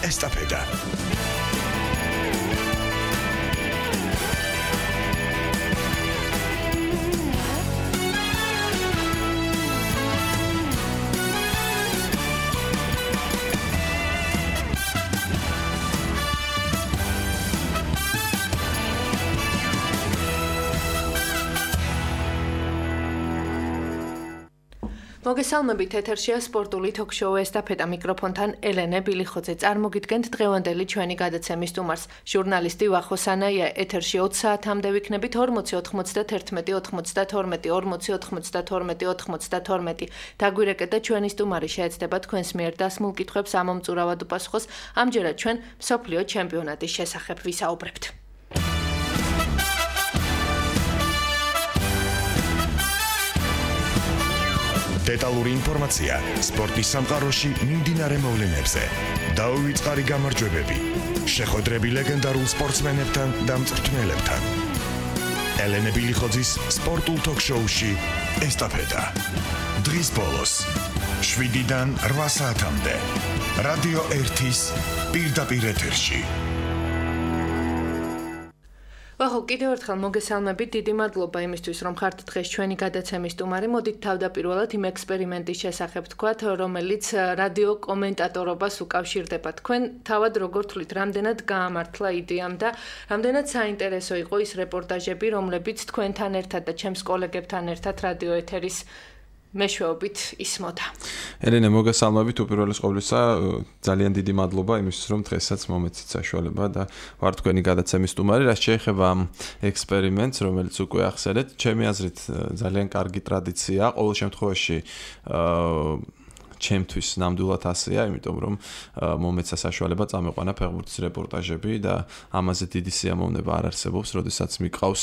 ესტაფეტა. მოგესალმებით, ეთერშია სპორტული თოქ-შოუ ესტაფეტა, მიკროფონთან ელენე ბილიხოძე. წარმოგიდგენთ დღევანდელი ჩვენი გადაცემის სტუმარს, ჟურნალისტი ვახო სანაია. ეთერში 20 საათამდე ვიქნებით 40 91 92 40 92 92. დაგვირეკეთ და ჩვენი სტუმარი შეეცდება თქვენს მიერ დასმულ კითხვებს ამომწურავად უპასუხოს. ამჯერად ჩვენ მსოფლიო ჩემპიონატის შესახებ ვისაუბრებთ. დეტალური ინფორმაცია სპორტის სამყაროში მიმდინარე მოვლენებზე. დაუვიწყარი გამარჯვებები, შეხვედრები ლეგენდარულ სპორტსმენებთან და მწვრთნელებთან. ელენე ბილიხოძის სპორტულ თოქ-შოუში ესტაფეტა. დღის ბოლოს 7-დან 8 საათამდე რადიო 1-ის პირდაპირ ეთერში. ვახო, კიდევ ერთხელ მოგესალმებით, დიდი მადლობა იმისთვის, რომ ხართ დღეს ჩვენი გადაცემის სტუმარი. მოდით თავდაპირველად იმ ექსპერიმენტის შესახებ თქვათ, რომელიც რადიო კომენტატორობას უკავშირდება. თქვენ თავად როგორ თვლით, რამდენად გაამართლა იდეამ და რამდენად საინტერესო იყო ის რეპორტაჟები, რომლებიც თქვენთან ერთად და ჩემს კოლეგებთან ერთად რადიო ეთერის მეშვეობით ისმოდა. ელენე, მოგესალმებით უპირველეს ყოვლისა, ძალიან დიდი მადლობა იმისთვის, რომ დღესაც მომეცით საშუალება და ვარ თქვენი გადაცემის სტუმარი. რაც შეეხება ამ ექსპერიმენტს, რომელიც უკვე ახსენეთ, ჩემი აზრით ძალიან კარგი ტრადიციაა. ყოველ შემთხვევაში ჩემთვის ნამდვილად ასეა, იმიტომ რომ მომეცა საშუალება წამეყვანა ფეხბურთის რეპორტაჟები და ამაზე დიდი სიამოვნება არ არსებობს, როდესაც მიყავს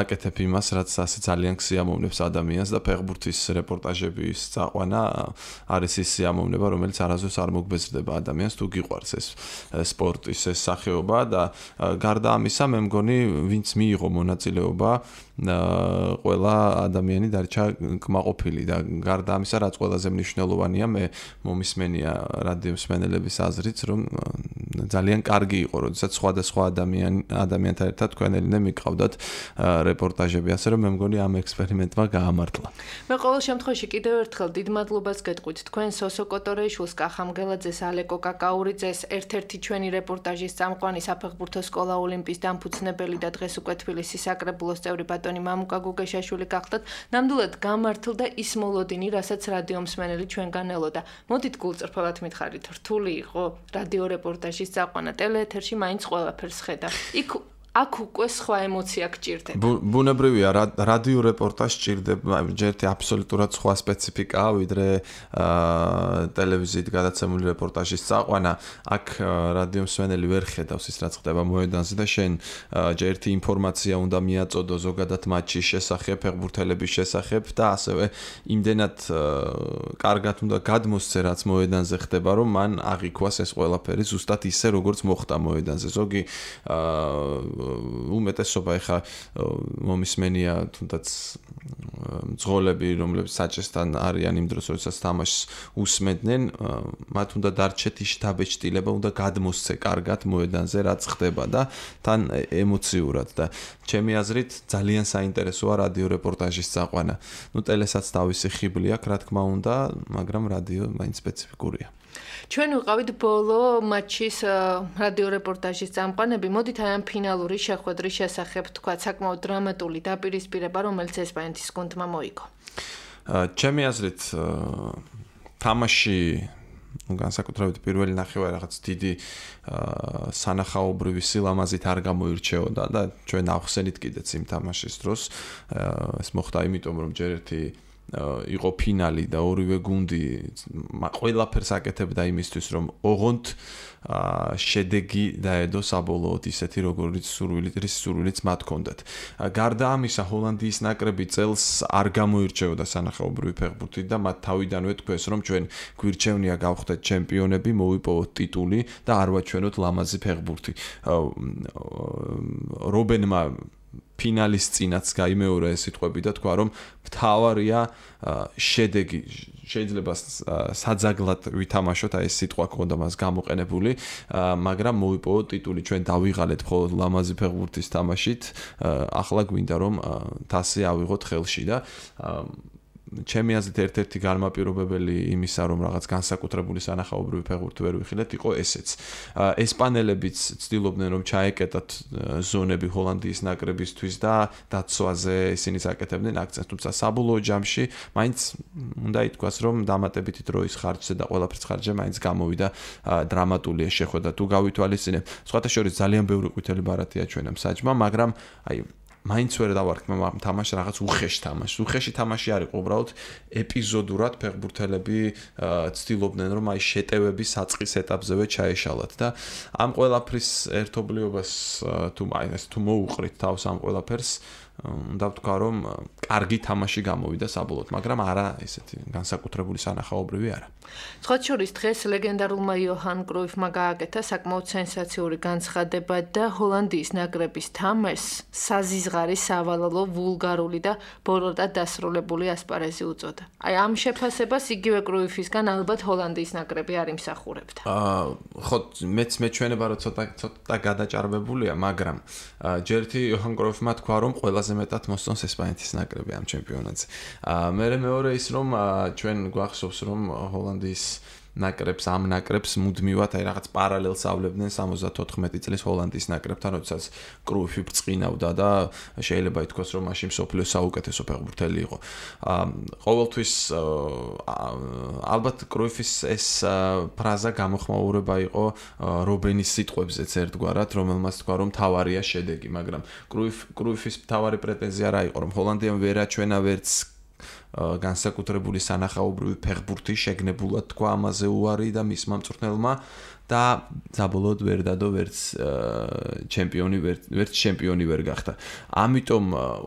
აკეთებ იმას, რაც ასე ძალიან სიამოვნებს ადამიანს და ფეხბურთის რეპორტაჟების წაყვანა არის ის სიამოვნება, რომელიც არასდროს არ მოგბეზრდება ადამიანს, თუ გიყვარს ეს სპორტის ეს სახეობა და გარდა ამისა, მე მგონი, ვინც მიიღო მონაწილეობა, ყველა ადამიანი დარჩა კმაყოფილი და გარდა ამისა, რაც ყველაზე მნიშვნელოვანია, მე მომისმენია რადიო მსმენელების აზრით, რომ ძალიან კარგი იყო, როდესაც სხვადასხვა ადამიანთან ერთად თქვენ ელენე მიყავდათ რეპორტაჟები, ასე რომ მე მგონი ამ ექსპერიმენტმა გაამართლა. მე ყოველ შემთხვევაში კიდევ ერთხელ დიდ მადლობას გეტყვით თქვენ სოსო კოტორეიშვილს, კახამგელაძეს, ალეკო კაკაურიძეს, ერთ-ერთი ჩვენი რეპორტაჟის წამყვანი საფეხბურთო სკოლა ოლიმპის დამფუძნებელი და დღეს უკვე თბილისის საკრებულოს წევრი ბატონი მამუკა გუგეშაშვილი გახდათ. ნამდვილად გამართლდა ის მოლოდინი, რასაც რადიო მსმენელი ჩვენგან ელოდა. მოდით გულწრფელად მითხარით, რთული იყო რადიო რეპორტაჟის წაყვანა, ტელეეთერში მაინც ყველაფერს ხედავ. აქ უკვე სხვა ემოცია გჭირდება. ბუნებრივია, რადიო რეპორტაჟ სჭირდება, ერთი აბსოლუტურად სხვა სპეციფიკაა, ვიდრე ტელევიზიით გადაცემული რეპორტაჟის წაყვანა. აქ რადიო მსმენელი ვერ ხედავს ის, რაც ხდება მოედანზე და შენ ერთი ინფორმაცია უნდა მიაწოდო ზოგადად მატჩის შესახებ, ფეხბურთელების შესახებ და ასევე იმდენად კარგად უნდა გადმოსცე, რაც მოედანზე ხდება, რომ მან აღიქვას ეს ყველაფერი ზუსტად ისე, როგორც მოხდა მოედანზე. ზოგი უმეტესობა ეხა მომისმენია თუნდაც მძღოლები, რომლებიც საჭესთან არიან იმ დროს, როდესაც თამაშს უსმენდნენ, მათ უნდა დარჩეთ ის შთაბეჭდილება, უნდა გადმოსცე კარგად მოედანზე, რაც ხდება და თან ემოციურად და ჩემი აზრით ძალიან საინტერესოა რადიო რეპორტაჟის წაყვანა. ტელესაც თავისი ხიბლი აქვს, რა თქმა უნდა, მაგრამ რადიო მაინც სპეციფიკურია. ჩვენ ვიყავით ბოლო მატჩის რადიო რეპორტაჟის წამყვანები. მოდით აი ამ ფინალური შეხვედრის შესახებ თქვა, საკმაოდ დრამატული დაპირისპირება, რომელიც ესპანეთის გუნდმა მოიგო. ჩემი აზრით თამაში განსაკუთრებით პირველი ნახევარი რაღაც დიდი სანახაობრივი სილამაზით არ გამოირჩეოდა და ჩვენ ავხსენით კიდეც იმ თამაშის დროს. ეს მოხდა იმიტომ, რომ ჯერ ერთი იყო ფინალი და ორივე გუნდი ყველაფერს აკეთებდა იმისთვის, რომ ოღონდ შედეგი დაედო საბოლოოდ ისეთი, როგორც სურვილიც მათ ჰქონდათ. გარდა ამისა, ჰოლანდიის ნაკრები წელს არ გამოირჩეოდა სანახაობრივი ფეხბურთით და მათ თავიდანვე თქვეს, რომ ჩვენ გვირჩევნია გავხდეთ ჩემპიონები, მოვიპოვოთ ტიტული და არ ვაჩვენოთ ლამაზი ფეხბურთი. რობენმა ფინალის წინაც გაიმეორა ეს სიტყვები და თქვა რომ მთავარია შედეგი შეიძლება საძაგლად ვითამაშოთ აი ეს სიტყვა ქონდა მას გამოყენებული მაგრამ მოვიპოვოთ ტიტული ჩვენ დავიღალეთ მხოლოდ ლამაზი ფეხბურთის თამაშით ახლა გვინდა რომ თასი ავიღოთ ხელში და ჩემი აზრით ერთ-ერთი განმაპირობებელი იმისა რომ რაღაც განსაკუთრებული სანახაობრივი ფეხბურთი ვერ ვიხილეთ იყო ესეც ესპანელებიც ცდილობდნენ რომ ჩაეკეტათ ზონები ჰოლანდიის ნაკრებისთვის და დაცვაზე ისინი აკეთებდნენ აქცენტს თუმცა საბოლოო ჯამში მაინც უნდა ითქვას რომ დამატებითი დროის ხარჯზე და ყველაფრის ხარჯზე მაინც გამოვიდა დრამატული შეხვედრა თუ გავითვალისწინებ სხვათა შორის ძალიან ბევრი ყვითელი ბარათია ჩვენამ საჯმა მაგრამ აი მაინც ვერ დავარქმევ თამაში რაღაც უხეში თამაში არ იყო უბრალოდ ეპიზოდურად ფეხბურთელები ცდილობდნენ რომ აი შეტევების საწყის ეტაპზევე ჩაეშალათ და ამ ყველაფრის ერთობლიობას თუ მოუყრით თავს ამ ყველაფერს უნდა ვთქვა რომ კარგი თამაში გამოვიდა საბოლოოდ მაგრამ არა ესეთი განსაკუთრებული სანახაობრივი არა სხვა შორის დღეს ლეგენდარულმა იოჰან კრუიფმა გააკეთა საკმაოდ სენსაციური განცხადება და ჰოლანდიის ნაკრების თამაშს საზიზღარი სავალალო ვულგარული და ბოროტად დასრულებული ასპარეზი უწოდა. აი ამ შეფასებას იგივე კრუიფისგან ალბათ ჰოლანდიის ნაკრები არ იმსახურებდა. ხო მეც მეჩვენება რომ ცოტა გადაჭარბებულია მაგრამ ჯერთი იოჰან კრუიფმა თქვა რომ ყველაზე მეტად მოსწონს ესპანეთის ნაკრები ამ ჩემპიონატზე. მეორე ის რომ ჩვენ გვახსოვს რომ ჰოლანდიის ნაკრებს მუდმივად აი რაღაც პარალელს ავლებდნენ 74 წლის ჰოლანდიის ნაკრებთან, როდესაც კრუიფი ბრწყინავდა და შეიძლება ითქვას, რომ მაშინ მსოფლიოს საუკეთესო ფეხბურთელი იყო. ყოველთვის ალბათ კრუიფის ეს ფრაზა გამოხმაურება იყო რობენის სიტყვებზეც ერთგვარად, რომელმაც თქვა, რომ თავარია შედეგი, მაგრამ კრუიფის თავარი პრეტენზია რა იყო, რომ ჰოლანდიამ ვერ აჩვენა ვერც განსაკუთრებული სანახაობრივი ფეხბურთი შეგნებულად თქვა ამაზე უარი და მისმა მწვრთნელმა და საბოლოოდ ვერ დადო ვერც ჩემპიონი ვერ გახდა. ამიტომ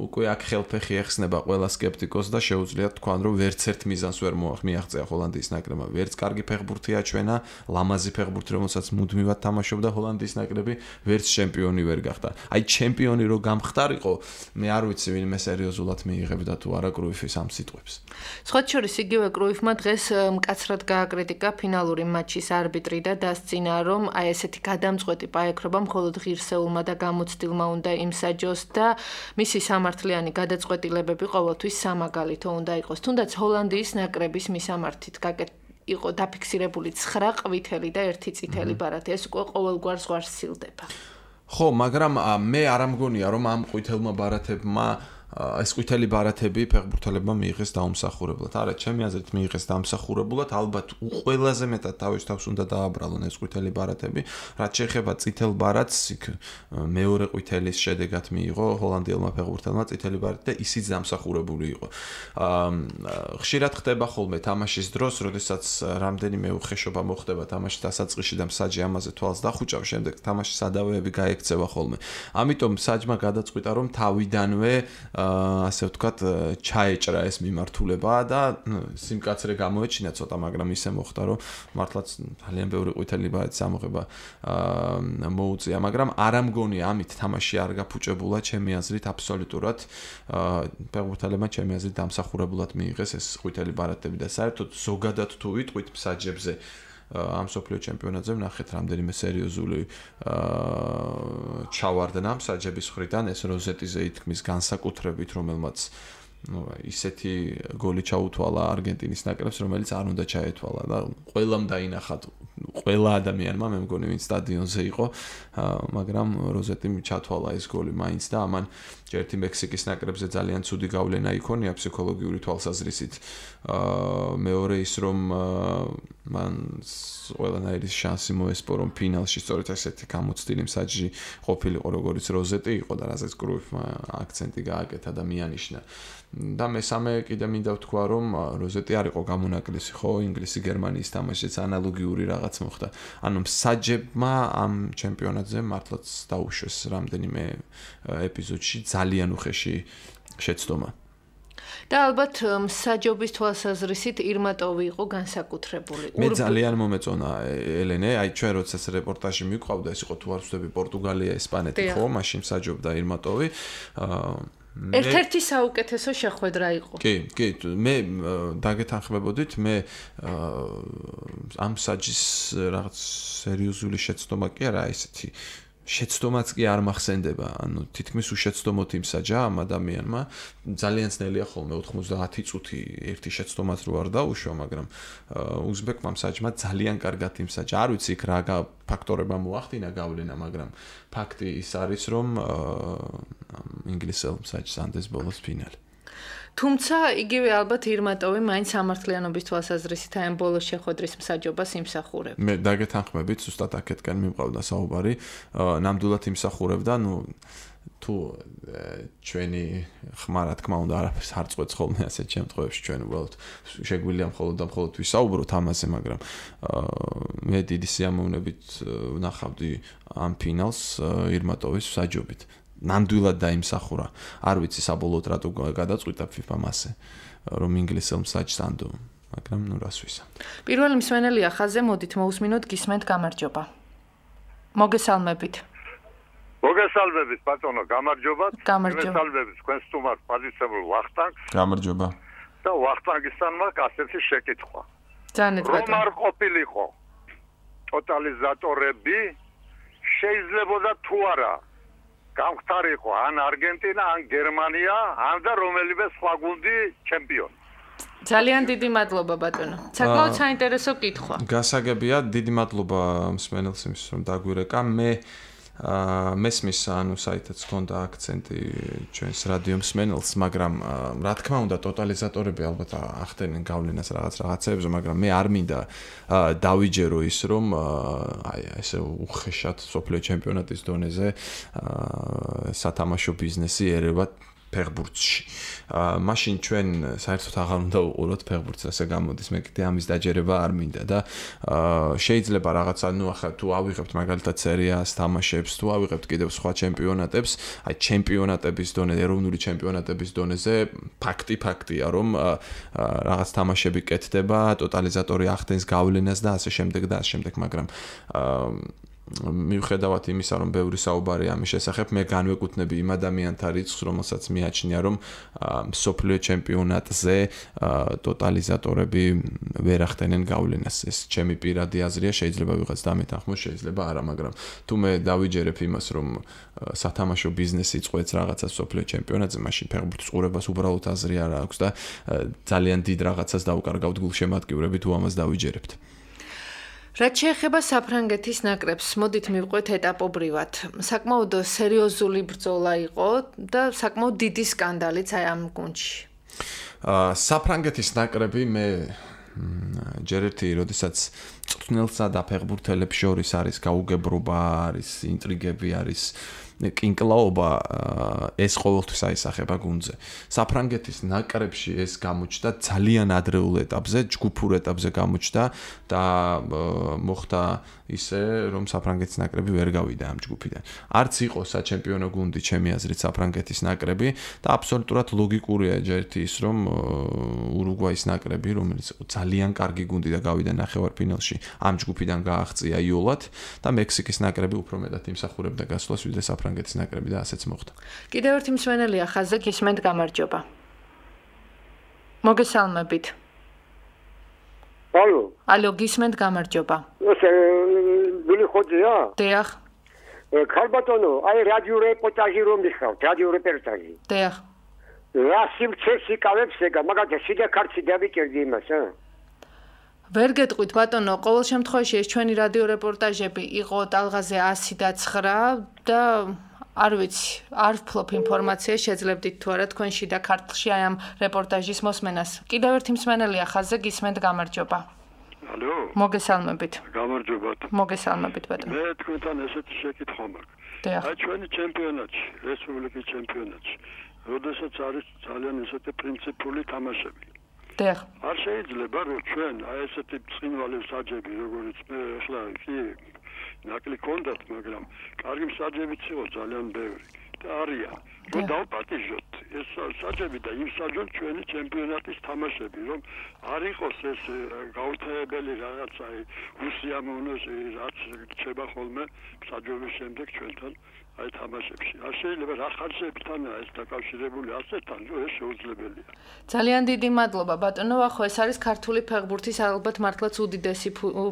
უკვე აქ ხელფეხი ეხსნება ყველა სკეპტიკოსს და შეუძლია თქვან რომ ვერც ერთ მიზანს ვერ მიაღწია ჰოლანდიის ნაკრებმა. ვერც კარგი ფეხბურთი აჩვენა, ლამაზი ფეხბურთი რომელსაც მუდმივად თამაშობდა ჰოლანდიის ნაკრები, ვერც ჩემპიონი ვერ გახდა. აი ჩემპიონი რო გამხდარიყო, მე არ ვიცი ვინმე სერიოზულად მიიღებდა თუ არა კრუიფის ამ სიტყვებს. სხვა შორის იგივე კრუიფმა დღეს მკაცრად გააკრიტიკა ფინალური მატჩის არბიტრი და წინა რომ აი ესეთი გადამწყვეტი პაექრობა მხოლოდ ღირსეულმა და გამოცდილმა უნდა იმსაჯოს და მისი სამართლიანი გადაწყვეტილებები ყოველთვის სამაგალითო უნდა იყოს. თუნდაც ჰოლანდიის ნაკრების მისამართით იყო დაფიქსირებული 9 ყვითელი და 1 წითელი ბარათი. ეს უკვე ყოველგვარ ზღვარს სცილდება. ხო, მაგრამ მე არ ამგონია რომ ამ ყვითელმა ბარათებმა ეს ყვითელი ბარათები ფეხბურთელებმა მიიღეს დაუმსახურებლად. არა, ჩემი აზრით მიიღეს დაუმსახურებლად, ალბათ ყველაზე მეტად თავის თავს უნდა დააბრალონ ეს ყვითელი ბარათები. რაც შეეხება წითელ ბარათს, იქ მეორე ყვითელის შედეგად მიიღო ჰოლანდიელმა ფეხბურთელმა წითელი ბარათი და ისიც დამსახურებული იყო. ხშირად ხდება ხოლმე თამაშის დროს, როდესაც რამდენიმე უხეშობა მოხდება თამაშის დასაწყისში და მსაჯი ამაზე თვალს დახუჭავს, შემდეგ თამაშის სადავეები გაექცევა ხოლმე. ამიტომ საჯმა გადაწყვიტა რომ თავიდანვე ასე ვთქვათ, ჩაეჭრა ეს მიმართულება და სიმკაცრე გამოეჩინა ცოტა, მაგრამ ისე მოხდა, რომ მართლაც ძალიან ბევრი ყვითელი ბარათის ამოღება მოუწია, მაგრამ არ ამგონია ამით თამაში არ გაფუჭებულა, ჩემი აზრით აბსოლუტურად ფეხბურთელებმა ჩემი აზრით დამსახურებულად მიიღეს ეს ყვითელი ბარათები და საერთოდ ზოგადად თუ ვიტყვით მსაჯებზე ამ სოფლიო ჩემპიონატზე ვნახეთ რამდენიმე სერიოზული ჩავარდნა მსაჯების მხრიდან ეს როზეტიზე ითქმის განსაკუთრებით რომელმაც ისეთი გოლი ჩაუთვალა არგენტინის ნაკრებს რომელიც არ უნდა ჩაეთვალა და ყველამ დაინახა ყველა ადამიანმა მე მგონი ვინც სტადიონზე იყო მაგრამ როზეტიმ ჩათვალა ეს გოლი მაინც და ამან ერთი მექსიკის ნაკრებზე ძალიან ცუდი გავლენა იქონია ფსიქოლოგიური თვალსაზრისით მეორე ის რომ მან ყველანაირი შანსი მოესპო რომ ფინალში სწორედ ესეთი გამოცდილი მსაჯი ყოფილიყო როგორც როზეტი იყო და რაზეც კრუიფმა აქცენტი გააკეთა და მიანიშნა და მესამე კიდე მინდა ვთქვა რომ როზეტი არ იყო გამონაკლისი ხო ინგლისი გერმანიის თამაშიც ანალოგიური რაღაც მოხდა ანუ მსაჯებმა ამ ჩემპიონატზე მართლაც დაუშვეს რამდენიმე ეპიზოდში ძალიან უხეში შეცდომა და ალბათ მსაჯობის თვალსაზრისით ირმატოვი იყო განსაკუთრებული. მე ძალიან მომეწონა ელენე, აი ჩვენ როდესაც რეპორტაჟი მიყვავდა, ეს იყო თუ არ ვცდები პორტუგალია, ესპანეთი ხო, მაშინ მსაჯობდა ირმატოვი. ერთ-ერთი საუკეთესო შეხვედრა იყო. კი, მე დაგეთანხმებოდით, მე ამ მსაჯის რაღაც სერიოზული შეცდომა კი არა, ესეთი შეცდომაც კი არ მახსენდება, ანუ თითქმის უშეცდომოთ იმსაჯა ამ ადამიანმა. ძალიან ძნელია ხოლმე 90 წუთი ერთი შეცდომაც რო არ დაუშვა, მაგრამ უზბეკმა მსაჯმა ძალიან კარგად იმსაჯა. არ ვიცი იქ რა ფაქტორება მოახდინა გავლენა, მაგრამ ფაქტი ის არის, რომ ინგლისელ მსაჯს ანდეს ბოლოს ფინალი. თუმცა იგივე ალბათ ირმატოვი მაინც სამართლიანობის თვალსაზრისით აი ამ ბოლოს შეხვედრის მსაჯობას იმსახურებს. მე დაგეთანხმებით, ზუსტად აქეთკენ მიმყავდა საუბარი, ნამდვილად იმსახურებდა, თუ ჩვენი ხმა რა თქმა უნდა არაფერს არ წყვეტს ხოლმე ასეთ შემთხვევებში ჩვენ უბრალოდ შეგვიძლია მხოლოდ ვისაუბროთ ამაზე, მაგრამ მე დიდი სიამოვნებით ვნახავდი ამ ფინალს ირმატოვის მსაჯობით. ნამდვილად დაიმსახურა. არ ვიცი საბოლოოდ რატო გადაწყვიტა FIFA-მ ასე, რომ ინგლისელ მსაჯს ანდო, მაგრამ რას ვისა. პირველი მსმენელია ხაზზე, მოდით მოусმინოთ, გისმენთ, გამარჯობა. მოგესალმებით. მოგესალმებით, ბატონო, გამარჯობა. მოგესალმებით თქვენ სტუმარს პაზიცებულ ვახტანგს. გამარჯობა. და ვახტანგისთანმა ასეთი შეკითხვა. ძალიან ბატონო. რომ არ ყოფილიყო ტოტალიზატორები, შეიძლებოდა თუ არა გამختارიყო ან არგენტინა, ან გერმანია, ან და რომელიმე სხვა გუნდი ჩემპიონი. ძალიან დიდი მადლობა ბატონო. საკმაოდ საინტერესო კითხვა. გასაგებია, დიდი მადლობა მსმენელს იმის რომ დაგვირეკა. მე მესმის ანუ საითაც ჰქონდა აქცენტი ჩვენს რადიო მსმენელს, მაგრამ რა თქმა უნდა ტოტალიზატორები ალბათ ახდენენ გავლენას რაღაცეებზე, მაგრამ მე არ მინდა დავიჯერო ის რომ აი ესე უხეშად სოფლიო ჩემპიონატის დონეზე სათამაშო ბიზნესი ერევა ფეხბურთში. მაშინ ჩვენ საერთოდ აღარ უნდა უყუროთ ფეხბურთს, ასე გამოდის, მე კიდე ამის დაჯერება არ მინდა და შეიძლება რაღაცა, ახლა თუ ავიღებთ მაგალითად სერიას თამაშებს, თუ ავიღებთ კიდევ სხვა ჩემპიონატებს, აი ჩემპიონატების დონეზე, ეროვნული ჩემპიონატების დონეზე ფაქტია, რომ რაღაც თამაშები კეთდება, ტოტალიზატორი ახდენს გავლენას და ასე შემდეგ, მაგრამ მიუხედავად იმისა, რომ ბევრი საუბარი ამის შესახებ, მე განვეკუთვნები იმ ადამიანთა რიცხვს, რომელსაც მიაჩნია, რომ მსოფლიო ჩემპიონატზე ტოტალიზატორები ვერ ახდენენ გავლენას. ეს ჩემი პირადი აზრია, შეიძლება ვიღაც დამეთანხმოს, შეიძლება არა, მაგრამ თუ მე დავიჯერებ იმას, რომ სათამაშო ბიზნესი წყვეტს რაღაცას მსოფლიო ჩემპიონატზე, მაშინ ფეხბურთის ყურებას უბრალოდ აზრი არ აქვს და ძალიან დიდ რაღაცას დავუკარგავთ გულშემატკივრები თუ ამას დავიჯერებთ. რაც შეეხება საფრანგეთის ნაკრებს, მოდით მივყვეთ ეტაპობრივად. საკმაოდ სერიოზული ბრძოლა იყო და საკმაოდ დიდი სკანდალიც აი ამ გუნდში. საფრანგეთის ნაკრები მე ჯერ ერთი, როდესაც წვრთნელსა და ფეხბურთელებს შორის არის გაუგებრობა, არის ინტრიგები, არის კინკლაობა, ეს ყოველთვის აისახება გუნდზე. საფრანგეთის ნაკრებში ეს გამოჩნდა ძალიან ადრეულ ეტაპზე, ჯგუფურ ეტაპზე გამოჩნდა და მოხდა ისე, რომ საფრანგეთის ნაკრები ვერ გავიდა ამ ჯგუფიდან. არც იყო საჩემპიონო გუნდი, ჩემი აზრით, საფრანგეთის ნაკრები და აბსოლუტურად ლოგიკურია ჯერთი ის, რომ ურუგვაის ნაკრები, რომელიც ძალიან კარგი გუნდი და გავიდა ნახევარფინალში, ამ ჯგუფიდან გააღწია იოლად და მექსიკის ნაკრები უფრო მეტად იმსახურებდა გასვლას, ვიდრე საფრანგეთის ნაკრები და ასეც მოხდა. კიდევ ერთი მსმენელია ხაზზე, გისმენთ, გამარჯობა. მოგესალმებით. ალო, გისმენთ, გამარჯობა. გული ხოძია? დიახ. ქალბატონო, აი რადიო რეპორტაჟი რომ მიხავთ, რადიო რეპორტაჟი. დიახ. რა სიმწეს იკავებს ეგა, მაგალითად სიდაქარცი დავიჭერდი იმას, ვერ გეტყვით ბატონო, ყოველ შემთხვევაში ეს ჩვენი რადიო რეპორტაჟები იყო ტალღაზე 109 და არ ვიცი, არ ვფლობ ინფორმაციას, შეძლებდით თუ არა თქვენში და ქართლში აი ამ რეპორტაჟის მოსმენას. კიდევ ერთი მსმენელია ხაზზე, გისმენთ, გამარჯობა. ალო. მოგესალმებით. გამარჯობათ. მოგესალმებით ბატონო. მე თქვენთან ესეთი შეკითხვა მაქვს. დიახ. აი ჩვენი ჩემპიონატში, რესპუბლიკის ჩემპიონატში, როდესაც არის ძალიან ესეთი პრინციპული თამაშები. დიახ. არ შეიძლება რომ ჩვენ აი ესეთი წინვალი მსაჯები, როგორც მე ახლა კი ნაკლი კონდათ, მაგრამ კარგი მსაჯებიც იყო ძალიან ბევრი და არიან. რომ დავპატიჟოთ ეს საჭები და იმ საჯონ ჩვენი ჩემპიონატის თამაშები, რომ არ იყოს ეს გაუთავებელი რაღაცა უსიამოვნო რაც რჩება ხოლმე საჯოების შემდეგ ჩვენთან აი თამაშებში. არ შეიძლება რა ხარჯებთანაა ეს დაკავშირებული ასეთთან, რომ ეს შეუძლებელია. ძალიან დიდი მადლობა ბატონო, ახო ეს არის ქართული ფეხბურთის ალბათ მართლაც უდიდესი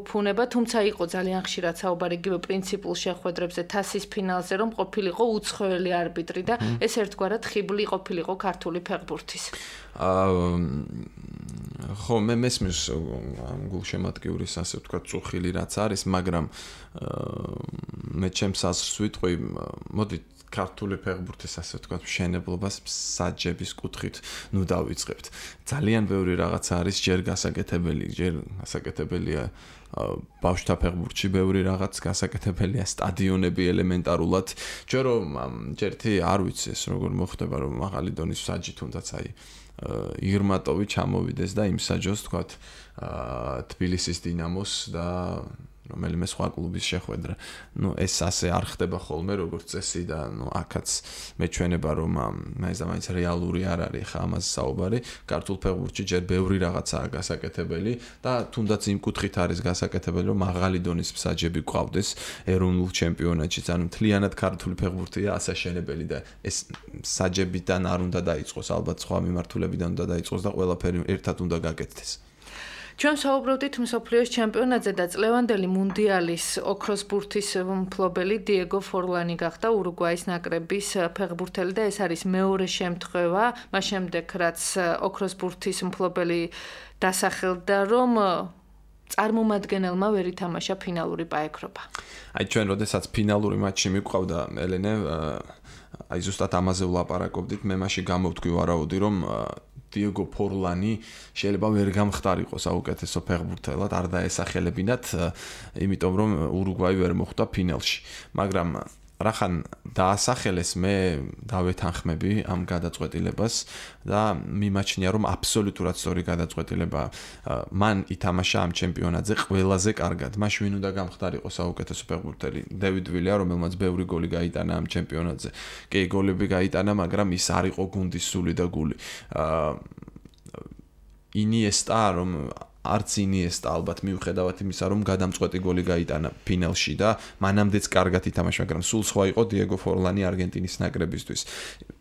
ფუნება, თუმცა იყო ძალიან ხშირად საუბარი იგივე პრინციპულ შეხვედრებზე თასის ფინალზე, რომ ყოფილიყო უცხოელი არბიტრი და ეს ერთგვარად ხიბლი ყოფილიყო ქართული ფეხბურთის. ხო, მე მესმის გულშემატკივრის ასე ვთქვათ წუხილი რაც არის, მაგრამ მე ჩემს აზრს ვიტყვი, მოდით ქართული ფეხბურთის ასე ვთქვათ მშენებლობას საჯების კუთხით ნუ დავიწყებთ. ძალიან ბევრი რაღაცა არის ჯერ გასაკეთებელია ბავშვთა ფეხბურთში ბევრი რაღაც გასაკეთებელია სტადიონები ელემენტარულად. ჯერ ერთი არ ვიცი ეს როგორ მოხდება რომ მაღალი დონის საჯი თუნდაც აი ირმატოვი ჩამოვიდეს და იმ საჯოს თქვათ თბილისის დინამოს და რომელიმე სხვა კლუბის შეხვედრა. ნუ ეს ასე არ ხდება ხოლმე როგორც წესი და ნუ აქაც მეჩვენება რომ მაინც რეალური არ არის ხა ამაზე საუბარი. ქართულ ფეხბურთში ჯერ ბევრი რაღაცაა გასაკეთებელი და თუნდაც იმ კუთხით არის გასაკეთებელი რომ მაღალი დონის საჯები გვყავდეს ეროვნულ ჩემპიონატში. ანუ მთლიანად ქართული ფეხბურთია ასაშენებელი და ეს საჯებიდან არ უნდა დაიწყოს, ალბათ სხვა მიმართულებიდან უნდა დაიწყოს და ყველაფერი ერთად უნდა გაკეთდეს. ჩვენ საუბრობდით მსოფლიოს ჩემპიონატზე და წლევანდელი მუნდიალის ოქროს ბურთის მფლობელი დიეგო ფორლანი გახდა ურუგვაის ნაკრების ფეხბურთელი და ეს არის მეორე შემთხვევა, მას შემდეგ რაც ოქროს ბურთის მფლობელი დასახელდა, რომ წარმომადგენელმა ვერ ითამაშა ფინალური პაექრობა. აი ჩვენ როდესაც ფინალური მატჩი მიყვავდა ელენე, აი ზუსტად ამაზე ვლაპარაკობდით, მე მაშინ გამოვთქვი ვარაუდი, რომ დიეგო ფორლანი შეიძლება ვერ გამხდარიყო საუკეთესო ფეხბურთელად, არ დაესახელებინათ, იმიტომ რომ ურუგვაი ვერ მოხვდა ფინალში. მაგრამ რახან დაასახელეს, მე დავეთანხმები ამ გადაწყვეტილებას და მიმაჩნია რომ აბსოლუტურად სწორი გადაწყვეტილება. მან ითამაშა ამ ჩემპიონატზე ყველაზე კარგად. მაშინ ვინ უნდა გამხდარიყო საუკეთესო ფეხბურთელი? დევიდ ვილია, რომელმაც ბევრი გოლი გაიტანა ამ ჩემპიონატზე. კი, გოლები გაიტანა, მაგრამ ის არ იყო გუნდის სული და გული. ინიესტა, რომ არც ინიესტა ალბათ მიუხედავად იმისა, რომ გადამწყვეტი გოლი გაიტანა ფინალში და მანამდეც კარგად ითამაშა, მაგრამ სულ სხვა იყო დიეგო ფორლანი არგენტინის ნაკრებისთვის.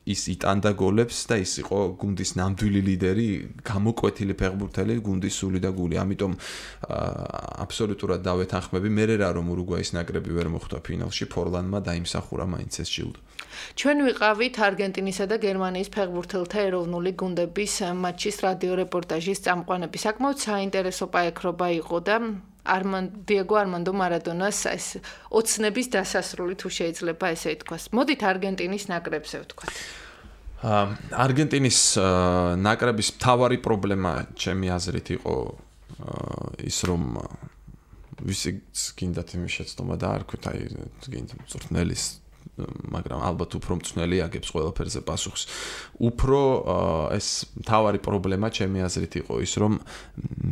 ის იტანდა გოლებს და ის იყო გუნდის ნამდვილი ლიდერი, გამოკვეთილი ფეხბურთელი, გუნდის სული და გული. ამიტომ აბსოლუტურად დავეთანხმები, მე რა რომ ურუგვაის ნაკრები ვერ მოხვდა ფინალში, ფორლანმა დაიმსახურა მაინც ეს ჯილდო. ჩვენ ვიყავით არგენტინისა და გერმანიის ფეხბურთელთა ეროვნული გუნდების მატჩის რადიო რეპორტაჟის წამყვანები. საკმაოდ საინტერესო პაექრობა იყო და დიეგო არმანდო მარადონას ეს ოცნების დასასრული თუ შეიძლება ესე ითქვას. მოდით არგენტინის ნაკრებზე ვთქვათ. არგენტინის ნაკრების მთავარი პრობლემა ჩემი აზრით იყო ის რომ ვისი გინდათ იმის შეცდომა და არ ქვით აი გინდ მწვრთნელის მაგრამ ალბათ უფრო მწვრთნელი აგებს ყველაფერზე პასუხს. უფრო ეს მთავარი პრობლემა ჩემი აზრით იყო ის რომ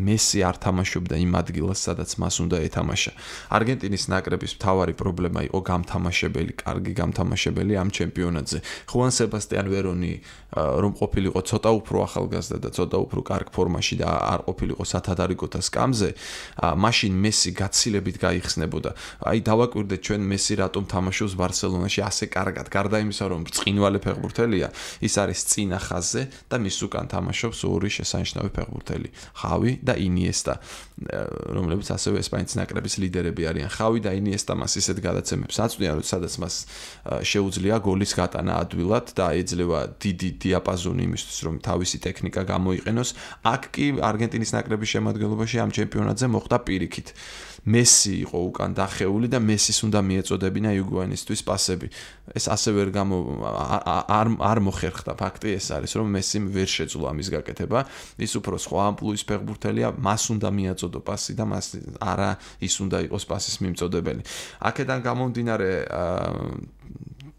მესი არ თამაშობდა იმ ადგილას სადაც მას უნდა ეთამაშა. არგენტინის ნაკრების მთავარი პრობლემა იყო გამთამაშებელი, კარგი გამთამაშებელი ამ ჩემპიონატზე. ხუან სებასტიან ვერონი რომ ყოფილიყო ცოტა უფრო ახალგაზრდა და ცოტა უფრო კარგ ფორმაში და არ ყოფილიყო სათადარიგოთა სკამზე, მაშინ მესი გაცილებით გაიხსნებოდა. აი დავაკვირდეთ ჩვენ მესი რატომ თამაშობს ბარსელონაში ასე კარგად, გარდა იმისა რომ ბრწყინვალე ფეხბურთელია, ის არის წინა ხაზზე და მის უკან თამაშობს ორი შესანიშნავი ფეხბურთელი, ხავი და ინიესტა, რომლებიც ასევე ესპანეთის ნაკრების ლიდერები არიან. ხავი და ინიესტა მას ისეთ გადაცემებს აწვდიან, რომ სადაც მას შეუძლია გოლის გატანა ადვილად და ეძლევა დიდი დიაპაზონი იმისთვის, რომ თავისი ტექნიკა გამოიყენოს. აქ კი არგენტინის ნაკრების შემადგენლობაში ამ ჩემპიონატზე მოხდა პირიქით. მესი იყო უკან დახეული და მესის უნდა მიეწოდებინა იუგუაინისთვის პასები. ეს ასე ვერ არ მოხერხდა. ფაქტი ეს არის, რომ მესიმ ვერ შეძლო ამის გაკეთება. ის უფრო სხვა ამპლუის ფეხბურთელია, მას უნდა მიაწოდო პასი და მას არა ის უნდა იყოს პასის მიმწოდებელი. აქედან გამომდინარე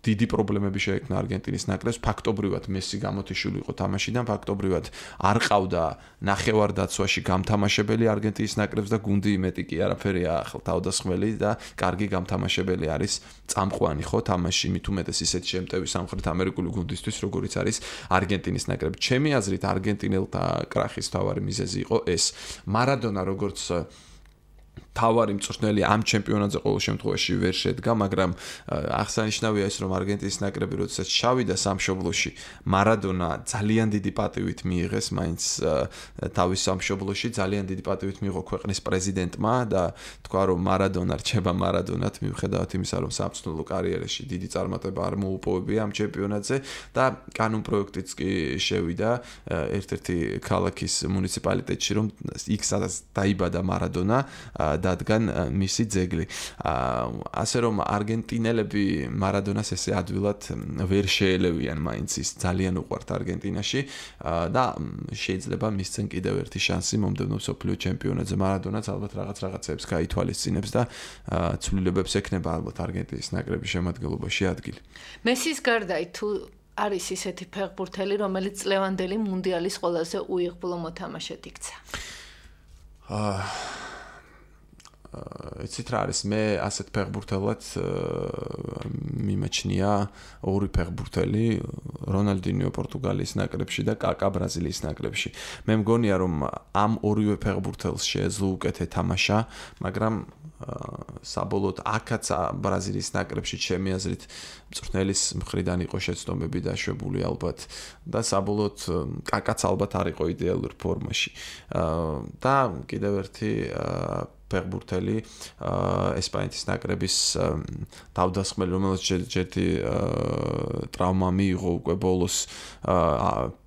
დიდი პრობლემები შეექმნა არგენტინის ნაკრებს. ფაქტობრივად მესი გამოთიშული იყო თამაშიდან, ფაქტობრივად არ ყავდა ნახევარდაცვაში გამთამაშებელი არგენტინის ნაკრებს და გუნდი მეტი კი არაფერია ახლა თავდასხმელი და კარგი გამთამაშებელი არის წამყვანი ხო თამაში, მით უმეტეს ისეთი შემტევი სამხრეთ ამერიკული გუნდისთვის, როგორიც არის არგენტინის ნაკრები. ჩემი აზრით არგენტინელთა კრახის თავარი მიზეზი იყო ეს. მარადონა როგორც თავარი მწვრთნელი ამ ჩემპიონატზე ყოველ შემთხვევაში ვერ შედგა, მაგრამ აღსანიშნავია ის, რომ არგენტინის ნაკრები როდესაც შავიდა სამშობლოში, მარადონა ძალიან დიდი პატივით მიიღეს მაინც თავის სამშობლოში, ძალიან დიდი პატივით მიიღო ქვეყნის პრეზიდენტმა და თქვა, რომ მარადონა რჩება მარადონად, მიუხედავად იმისა, რომ სამწვრთნელო კარიერაში დიდი წარმატება არ მოუპოვებია ამ ჩემპიონატზე და კანონ პროექტიც კი შევიდა ერთ-ერთი ქალაქის მუნიციპალიტეტში, რომ იქ სადაც დაიბადა მარადონა დადგან მისი ძეგლი. ასე რომ არგენტინელები მარადონას ესე ადვილად ვერ შეელევიან, მაინც ის ძალიან უყვართ არგენტინაში და შეიძლება მისცენ კიდევ ერთი შანსი მომდევნო მსოფლიო ჩემპიონატზე. მარადონაც ალბათ რაღაცებს გაითვალისწინებს და ცვლილებებს ექნება ალბათ არგენტინის ნაკრების შემადგენლობაში ადგილი. მესის გარდა თუ არის ისეთი ფეხბურთელი, რომელიც წლევანდელი მუნდიალის ყველაზე უიღბლო მოთამაშედ იქცა? იცით რა არის, მე ასეთ ფეხბურთელად მიმაჩნია ორი ფეხბურთელი, რონალდინიო პორტუგალიის ნაკრებში და კაკა ბრაზილიის ნაკრებში. მე მგონია, რომ ამ ორივე ფეხბურთელს შეეძლო უკეთე თამაშა, მაგრამ საბოლოოდ აქაც ბრაზილიის ნაკრებში ჩემი აზრით მწვრთნელის მხრიდან იყო შეცდომები დაშვებული ალბათ და საბოლოოდ კაკაც ალბათ არ იყო იდეალურ ფორმაში. და კიდევ ერთი ფეხბურთელი ესპანეთის ნაკრების თავდასხმელი, რომელიც ჯერჯერთი ტრავმა მიიღო უკვე ბოლოს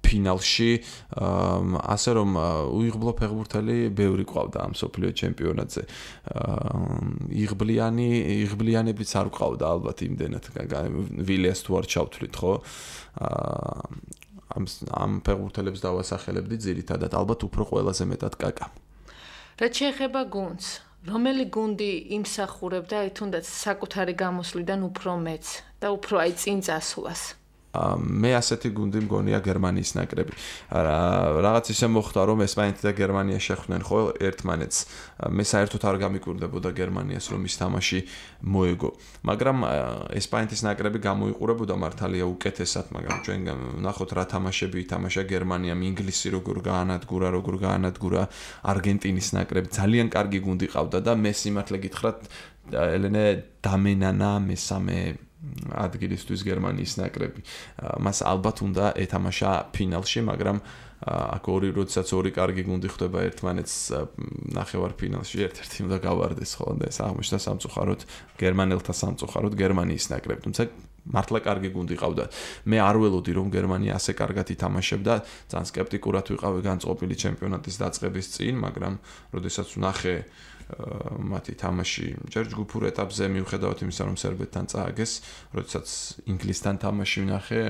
ფინალში, ასე რომ უიღბლო ფეხბურთელი ბევრი ყავდა ამ მსოფლიო ჩემპიონატზე. იღბლიანებიც არ ყავდა ალბათ იმდენად, ვილიას თუ არ ჩავთვლით, ხო? ამ ფეხბურთელებს დავასახელებდი ძირითადად, ალბათ უფრო ყველაზე მეტად კაკა. რაც შეეხება გუნდს, რომელი გუნდი იმსახურებდა თუნდაც საკუთარი გამოსვლიდან უფრო მეც და უფრო აი წინ წასვლას? მე ასეთი გუნდი მგონია გერმანიის ნაკრები. რაღაც ისე მოხდა, რომ ესპანეთი და გერმანია შეხვდნენ ხო ერთმანეთს. მე საერთოდ არ გამიკვირდებოდა გერმანიას, რომ ის თამაში მოეგო. მაგრამ ესპანეთის ნაკრები გამოიყურებოდა მართალია უკეთესად, მაგრამ ჩვენ ვნახოთ რა თამაშები ითამაშა გერმანიამ, ინგლისი როგორ გაანადგურა, არგენტინის ნაკრები ძალიან კარგი გუნდი ყავდა და მე სიმართლე გითხრათ, ელენე დამენანა მესამე ადგილისთვის გერმანიის ნაკრები. მას ალბათ უნდა ეთამაშა ფინალში, მაგრამ აქ როდესაც ორი კარგი გუნდი ხვდება ერთმანეთს ნახევარფინალში, ერთ-ერთი უნდა გავარდეს ხო და ეს აღმოჩნდა სამწუხაროდ გერმანელთა სამწუხაროდ გერმანიის ნაკრები. თუმცა მართლა კარგი გუნდი ყავდა. მე არ ველოდი რომ გერმანია ასე კარგად ითამაშებდა, ძალიან სკეპტიკურად ვიყავი განწყობილი ჩემპიონატის დაწყების წინ, მაგრამ როდესაც ვნახე მათი თამაში ჯერ ჯგუფურ ეტაპზე მიუხედავად იმისა, რომ სერბეთთან წააგეს, როდესაც ინგლისთან თამაში ვნახე,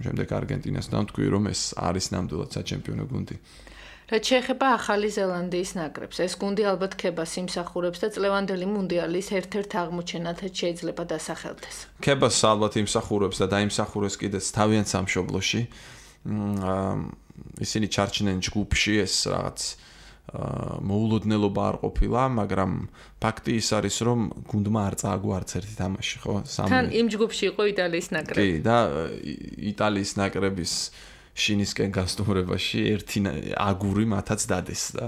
შემდეგ არგენტინასთან თქვი, რომ ეს არის ნამდვილად საჩემპიონო გუნდი. რაც შეეხება ახალი ზელანდიის ნაკრებს, ეს გუნდი ალბათ ქებას იმსახურებს და წლევანდელი მუნდიალის ერთ-ერთ აღმოჩენათაც შეიძლება დასახელდეს. ქებას ალბათ იმსახურებს და დაიმსახურეს კიდეც თავიანთ სამშობლოში. ისინი ჩარჩნენ ჯგუფში, ეს რაღაც მოულოდნელობა არ ყოფილა, მაგრამ ფაქტი ის არის, რომ გუნდმა არ წააგო არც ერთი თამაში, ხო? თან იმ ჯგუფში იყო იტალიის ნაკრები. კი, და იტალიის ნაკრების შინისკენ გასტუმრებაში ერთი აგური მათაც დადეს და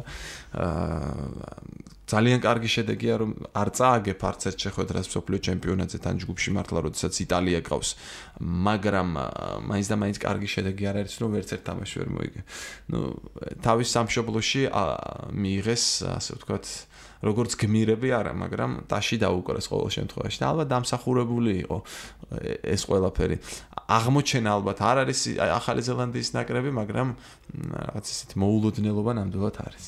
ძალიან კარგი შედეგია, რომ არ წააგებ არც ერთ შეხვედრას მსოფლიო ჩემპიონატზე თან ჯგუფში მართლა, როდესაც იტალია ყავს, მაგრამ მაინც და მაინც კარგი შედეგი არ არის, რომ ვერც ერთ თამაში ვერ მოიგე. თავის სამშობლოში მიიღეს, ასე ვთქვათ, როგორც გმირები არა, მაგრამ ტაში დაუკრეს ყოველ შემთხვევაში. და ალბათ დამსახურებული იყო ეს ყველაფერი. აღმოჩენა ალბათ არ არის ახალი ზელანდიის ნაკრები, მაგრამ რაღაც ისეთი მოულოდნელობა ნამდვილად არის.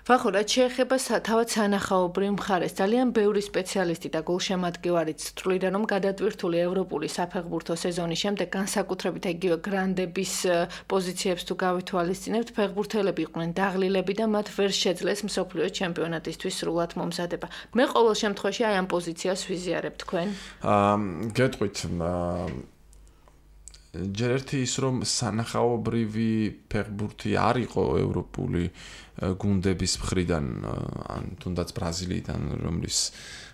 ვახო, რაც შეეხება თავად სანახაობრივ მხარეს, ძალიან ბევრი სპეციალისტი და გულშემატკივარიც თვლიდა, რომ გადატვირთული ევროპული საფეხბურთო სეზონის შემდეგ განსაკუთრებით იგივე გრანდების პოზიციებს თუ გავითვალისწინებთ, ფეხბურთელები იყვნენ დაღლილები და მათ ვერ შეძლეს მსოფლიო ჩემპიონატისთვის სრულად მომზადება. მე ყოველ შემთხვევაში აი ამ პოზიციას ვიზიარებ თქვენ. გეტყვით ჯერ ერთი ის რომ სანახაობრივი ფეხბურთი არ იყო ევროპული გუნდების მხრიდან ან თუნდაც ბრაზილიიდან რომლის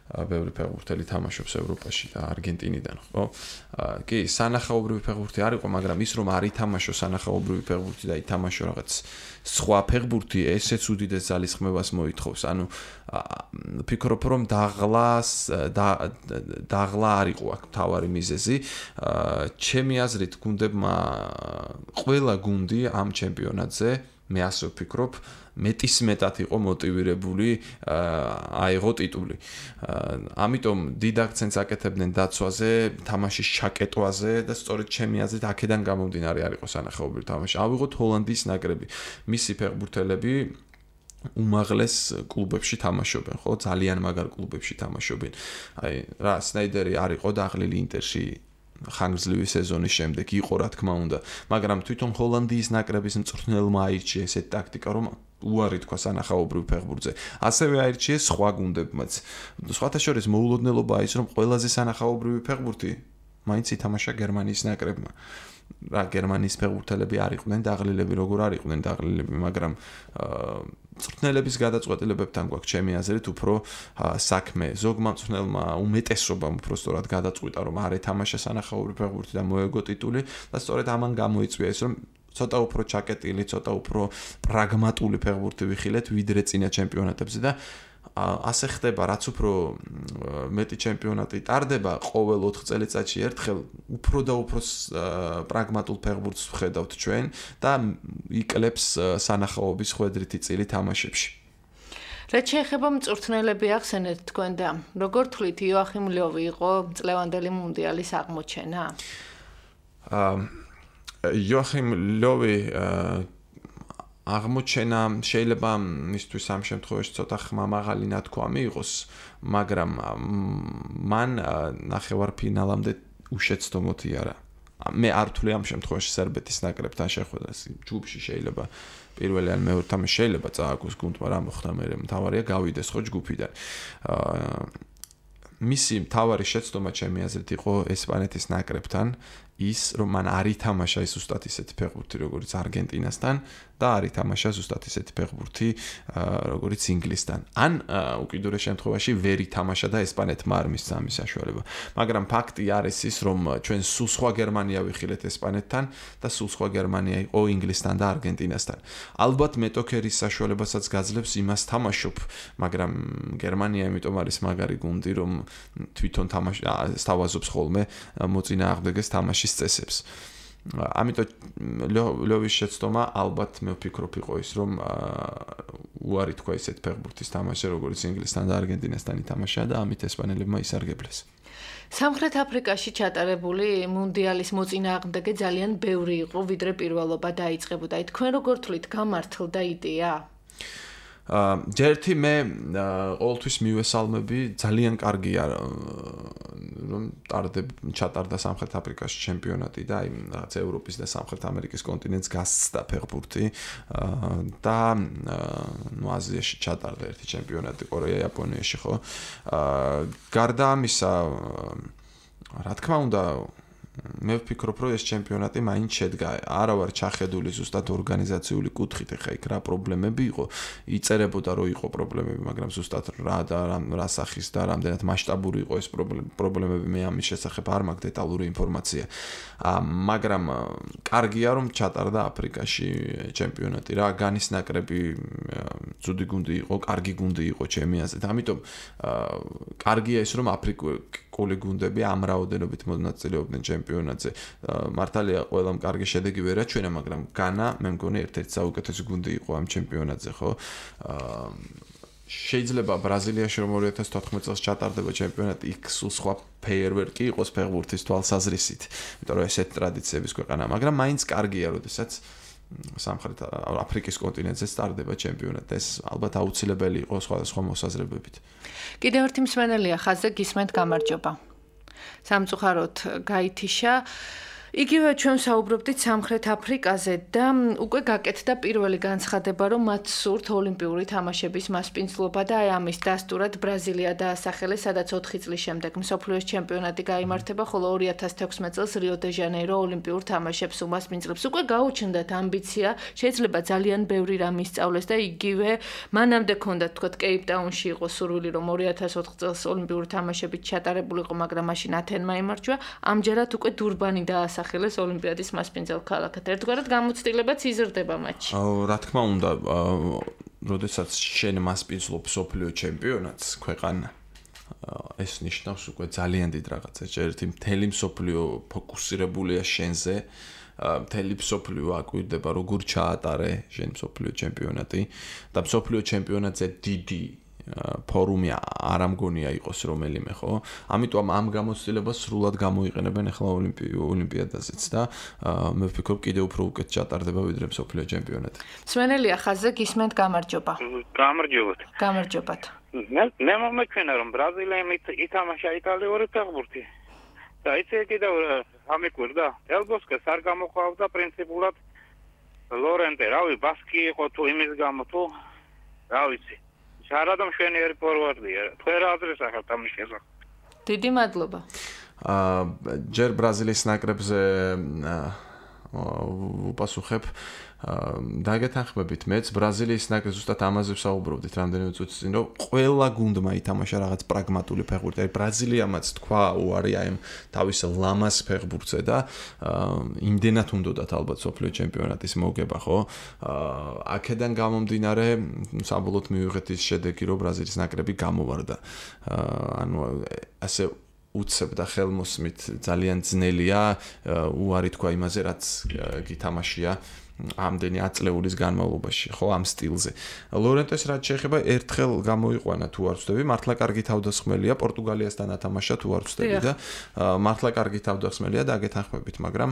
ბევრი ფეხბურთელი თამაშობს ევროპაში და არგენტინიდან ხო? კი, სანახაობრივი ფეხბურთი არ იყო, მაგრამ ის რომ არ ითამაშო სანახაობრივი ფეხბურთი და ითამაშო რაღაც სხვა ფეხბურთი, ესეც უდიდეს ძალისხმევას მოითხოვს. ანუ ფიქრობ რომ დაღლა არ იყო აქ მთავარი მიზეზი. ჩემი აზრით გუნდებმა ყველა გუნდი ამ ჩემპიონატზე მე ასე ვფიქრობ, მეტისმეტად იყო მოტივირებული აიღო ტიტული. ამიტომ დიდ აქცენტს აკეთებდნენ დაცვაზე, თამაშის ჩაკეტვაზე და სწორედ ჩემი აზრით აქედან გამომდინარე არ იყო სანახაობრივი თამაში. ავიღოთ ჰოლანდიის ნაკრები. მისი ფეხბურთელები უმაღლეს კლუბებში თამაშობენ, ხო? ძალიან მაგარ კლუბებში თამაშობენ. აი, რა, სნაიდერი არ იყო დაღლილი ინტერში ხანგრძლივი სეზონის შემდეგ იყო რა თქმა უნდა, მაგრამ თვითონ ჰოლანდიის ნაკრების მწვრთნელმა აირჩია ესეთ ტაქტიკა, რომ უარი თქვა სანახაობრივ ფეხბურთზე. ასევე აირჩიეს სხვა გუნდებმაც. სხვათა შორის მოულოდნელობაა ის, რომ ყველაზე სანახაობრივი ფეხბურთი მაინც ითამაშა გერმანიის ნაკრებმა. რა გერმანიის ფეხბურთელები არ იყვნენ დაღლილები, როგორ არ იყვნენ დაღლილები, მაგრამ მწვრთნელების გადაწყვეტილებებთან გვაქვს ჩემი აზრით უფრო საქმე. ზოგმა მწვრთნელმა უმეტესობამ უფრო სწორად გადაწყვიტა, რომ არ ეთამაშა სანახაობრივი ფეხბურთი და მოეგო ტიტული და სწორედ ამან გამოიწვია ის, რომ ცოტა უფრო ჩაკეტილი, ცოტა უფრო პრაგმატული ფეხბურთი ვიხილეთ ვიდრე წინა ჩემპიონატებზე და ასე ხდება, რაც უფრო მეტი ჩემპიონატი ტარდება ყოველ 4 წელიწადში ერთხელ, უფრო და უფრო პრაგმატულ ფეხბურთს ვხედავთ ჩვენ და იკლებს სანახაობის ხვედრითი წილი თამაშებში. რაც შეეხება მწვრთნელები ახსენეთ თქვენ და როგორ თვლით იოახიმ ლევი იყო წლევანდელი მუნდიალის აღმოჩენა? იოახიმ ლევი აღმოჩენა შეიძლება მისთვის ამ შემთხვევაში ცოტა ხმამაღალი ნათქვამი იყოს, მაგრამ მან ნახევარფინალამდე უშეცდომოთ იარა. მე არ ვთვლი ამ შემთხვევაში სერბეთის ნაკრებთან შეხვედრას. ჯგუფში შეიძლება პირველი ან მეორე თამაში შეიძლება წააგოს გუნდმა რა მოხდა, მე მთავარია გავიდეს ხო ჯგუფიდან. მისი მთავარი შეცდომა ჩემი აზრით იყო ესპანეთის ნაკრებთან ის, რომ მან არ ითამაშა ის ზუსტად ისეთი ფეხბურთი, როგორც არგენტინასთან და არ ითამაშა ზუსტად ისეთი ფეხბურთი, როგორც ინგლისთან. ან უკიდურეს შემთხვევაში ვერ ითამაშა და ესპანეთმა არ მისცა ამის საშუალება. მაგრამ ფაქტი არის ის, რომ ჩვენ სულ სხვა გერმანია ვიხილეთ ესპანეთთან და სულ სხვა გერმანია იყო ინგლისთან და არგენტინასთან. ალბათ მეტოქერის საშუალებასაც გაძლევს იმას თამაშობ, მაგრამ გერმანია იმიტომ არის მაგარი გუნდი, რომ თვითონ სთავაზობს ხოლმე მოწინააღმდეგეს თამაშის წესებს. ამიტომ ლევის შეცდომა ალბათ მე ვფიქრობ იყო ის, რომ უარი თქვა ისეთ ფეხბურთის თამაშზე, როგორც ინგლისთან და არგენტინასთან ითამაშა და ამით ესპანელებმა ისარგებლეს. სამხრეთ აფრიკაში ჩატარებული მუნდიალის მოწინააღმდეგე ძალიან ბევრი იყო, ვიდრე პირველობა დაიწყებოდა. აი თქვენ როგორ თვლით, გამართლდა იდეა? ჯერთი მე ყოველთვის მივესალმები, ძალიან კარგია რომ ჩატარდა სამხრეთ აფრიკაში ჩემპიონატი და აი რაღაც ევროპის და სამხრეთ ამერიკის კონტინენტს გასცდა ფეხბურთი და ნუ აზიაში ჩატარდა ერთი ჩემპიონატი კორეა, იაპონიაში ხო. გარდა ამისა, რა თქმა უნდა მე ვფიქრობ, რომ ეს ჩემპიონატი მაინც შედგა. არა ვარ ჩახედული ზუსტად ორგანიზაციული კუთხით, ეხა იქ რა პრობლემები იყო, იწერებოდა რომ იყო პრობლემები, მაგრამ ზუსტად რა სახის და რამდენად მასშტაბური იყო ეს პრობლემები, მე ამის შესახებ არ მაქვს დეტალური ინფორმაცია. მაგრამ კარგია რომ ჩატარდა აფრიკაში ჩემპიონატი რა, განის ნაკრები ცუდი გუნდი იყო, კარგი გუნდი იყო ჩემი აზრით. ამიტომ კარგია ის რომ აფრიკული გუნდები ამ რაოდენობით მონაწილეობდნენ ჩემპიონატზე. მართალია ყველამ კარგი შედეგი ვერ აჩვენა, მაგრამ განა მე მგონი ერთ-ერთი საუკეთესო გუნდი იყო ამ ჩემპიონატზე, ხო? შეიძლება ბრაზილიაში რომ 2014 წელს ჩატარდება ჩემპიონატი, იქ სულ სხვა ფეიერვერკი იყოს ფეხბურთის თვალსაზრისით, იმიტომ რომ ესეთ ტრადიციების ქვეყანა, მაგრამ მაინც კარგია, როდესაც სამხრეთ აფრიკის კონტინენტზე სტარდება ჩემპიონატი. ეს ალბათ აუცილებელი იყო სხვადასხვა მოსაზრებებით. კიდევ ერთი მსმენელია ხაზზე გისმენთ გამარჯობა. სამწუხაროდ გაითიშა. იგივე ჩვენ საუბრობდით სამხრეთ აფრიკაზე და უკვე გაკეთდა პირველი განცხადება, რომ მათ სურთ ოლიმპიური თამაშების მასპინძლობა და აი ამის დასტურად ბრაზილია დაასახელეს, სადაც 4 წლის შემდეგ მსოფლიოს ჩემპიონატი გაიმართება, ხოლო 2016 წელს რიო-დე-ჟანეირო ოლიმპიურ თამაშებს უმასპინძლებს. უკვე გაუჩნდათ ამბიცია, შეიძლება ძალიან ბევრი რამ ისწავლეს და იგივე მანამდე ქონდათ თქვათ კეიპტაუნში იყო სურვილი, რომ 2004 წელს ოლიმპიური თამაშებით ჩატარებულიყო, მაგრამ მაშინ ათენმა იმარჯვა. ამჯერად უკვე დურბანი დაასახელეს ხელეს ოლიმპიადის მასპინძელ ქალაქად. ერთგვარად გამოცდილებაც იზრდება მათში. რა თქმა უნდა, როდესაც შენ მასპინძლობ მსოფლიო ჩემპიონატს ქვეყანა, ეს ნიშნავს უკვე ძალიან დიდ რაღაცას. ერთი მთელი მსოფლიო ფოკუსირებულია შენზე, მთელი მსოფლიო აკვირდება, როგორ ჩაატარე შენ მსოფლიო ჩემპიონატი და მსოფლიო ჩემპიონატზე დიდი ფორუმი არ ამგონია იყოს რომელიმე, ხო? ამიტომ ამ გამოცდილებას სრულად გამოიყენებენ ახლა ოლიმპიადაზეც და მე ვფიქრობ კიდევ უფრო უკეთ ჩატარდება ვიდრე მსოფლიო ჩემპიონატი. მსმენელია ხაზზე გისმენთ გამარჯობა. გამარჯობათ. გამარჯობათ. მე მომეჩვენა რომ ბრაზილიამ ითამაშა იტალიური ფეხბურთი. და იცი კიდევ ამიკვირდა. ელბოსკეს არ გამოყავდა პრინციპულად ლორენტე, რავი, ბასკი იყო თუ იმის გამო თუ რა ვიცი. შარადამ შვენიერი ფორვარდია. თქვენ რა აზრის ახალ ამის შესახებ? დიდი მადლობა. ჯერ ბრაზილიის ნაკრებზე უპასუხებ დაგეთანხმებით მეც ბრაზილიის ნაკრებს ზუსტად ამაზე ვსაუბრობდით რამდენიმე წუთის წინ, რომ ყველა გუნდმა ითამაშა რაღაც პრაგმატული ფეხბურთი. აი ბრაზილიამაც თქვა უარი აი თავის ლამას ფეხბურთზე და იმდენად უნდათ ალბათ სოფლიო ჩემპიონატის მოგება, ხო? აქედან გამომდინარე საბოლოოდ მივიღეთ ის შედეგი, რომ ბრაზილიის ნაკრები გამოვარდა. ანუ ასე უცებ და ხელმოსმით ძალიან ძნელია უარი თქვა იმაზე, რაც გითამაშია ამდენი აწლეულის განმავლობაში, ხო, ამ სტილზე. ლორენტეს რაც შეეხება, ერთხელ გამოიყვანა თუ არ ვცდები, მართლა კარგი თავდასხმელია, პორტუგალიასთან ათამაშა თუ არ ვცდები და მართლა კარგი თავდასხმელია და აგეთანხმებით, მაგრამ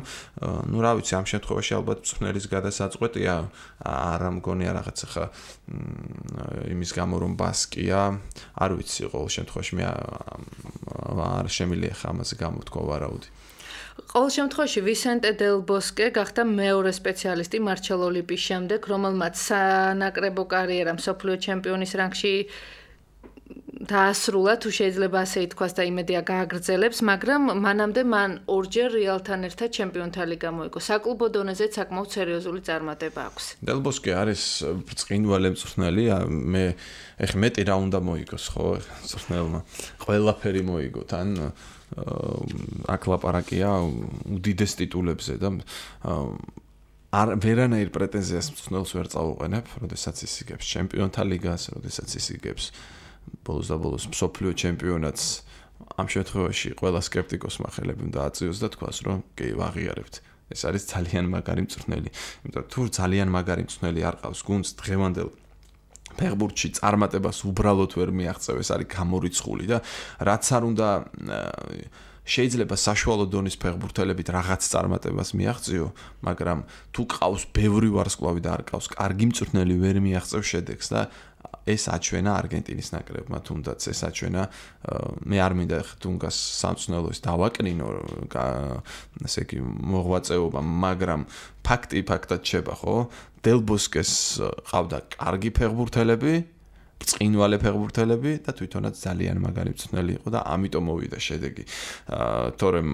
ნუ რა ვიცი, ამ შემთხვევაში ალბათ მწვრთნელის გადასაწყვეტია, არ მგონია რაღაც ხა იმის გამო რომ ბასკია, არ ვიცი, ყოველ შემთხვევაში მე არ შემიძლია ხა ამაზე გამოთქვა ვარაუდი. ყოველ შემთხვევაში ვისენტე დელ ბოსკე გახდა მეორე სპეციალისტი მარჩელო ლიპის შემდეგ, რომელმაც სანაკრებო კარიერა მსოფლიო ჩემპიონის რანგში დაასრულა, თუ შეიძლება ასე ითქვას და იმედია გააგრძელებს, მაგრამ მანამდე მან ორჯერ რეალთან ერთად ჩემპიონთა ლიგა მოიგო. საკლუბო დონეზე საკმაოდ სერიოზული წარმატება აქვს. დელ ბოსკე არის ბრწყინვალე მწვრთნელი, მე ეხლა მეტი რა უნდა მოიგოს, ხო, მწვრთნელმა. ყველაფერი მოიგო თან აქ ლაპარაკია უდიდეს ტიტულებზე და ვერანაირ პრეტენზიას მწვრთნელს ვერ წავუყენებ, როდესაც ის იგებს ჩემპიონთა ლიგას, როდესაც ის იგებს ბოლოს და ბოლოს მსოფლიო ჩემპიონატს. ამ შემთხვევაში ყველა სკეპტიკოსმა ხელები უნდა აწიოს და თქვას, რომ კი ვაღიარებთ. ეს არის ძალიან მაგარი მწვრთნელი. იმიტომ თუ ძალიან მაგარი მწვრთნელი არ ყავს გუნდს დღევანდელ ფეხბურთში წარმატებას უბრალოდ ვერ მიაღწევ, ეს არის გამორიცხული და რაც არ უნდა შეიძლება საშუალო დონის ფეხბურთელებით რაღაც წარმატებას მიაღწიო, მაგრამ თუ ყავს ბევრი ვარსკვლავი და არ ყავს კარგი მწვრთნელი ვერ მიაღწევ შედეგს და ეს აჩვენა არგენტინის ნაკრებმა, თუნდაც ეს აჩვენა მე არ მინდა თუნგას სამწვრთნელოს დავაკნინო, ასე იგი მოღვაწეობა, მაგრამ ფაქტი ფაქტად შეება, ხო? დელ ბოსკეს ყავდა კარგი ფეხბურთელები, ბრწყინვალე ფეხბურთელები და თვითონაც ძალიან მაგარი მწვრთნელი იყო და ამიტომ მოვიდა შედეგი. თორემ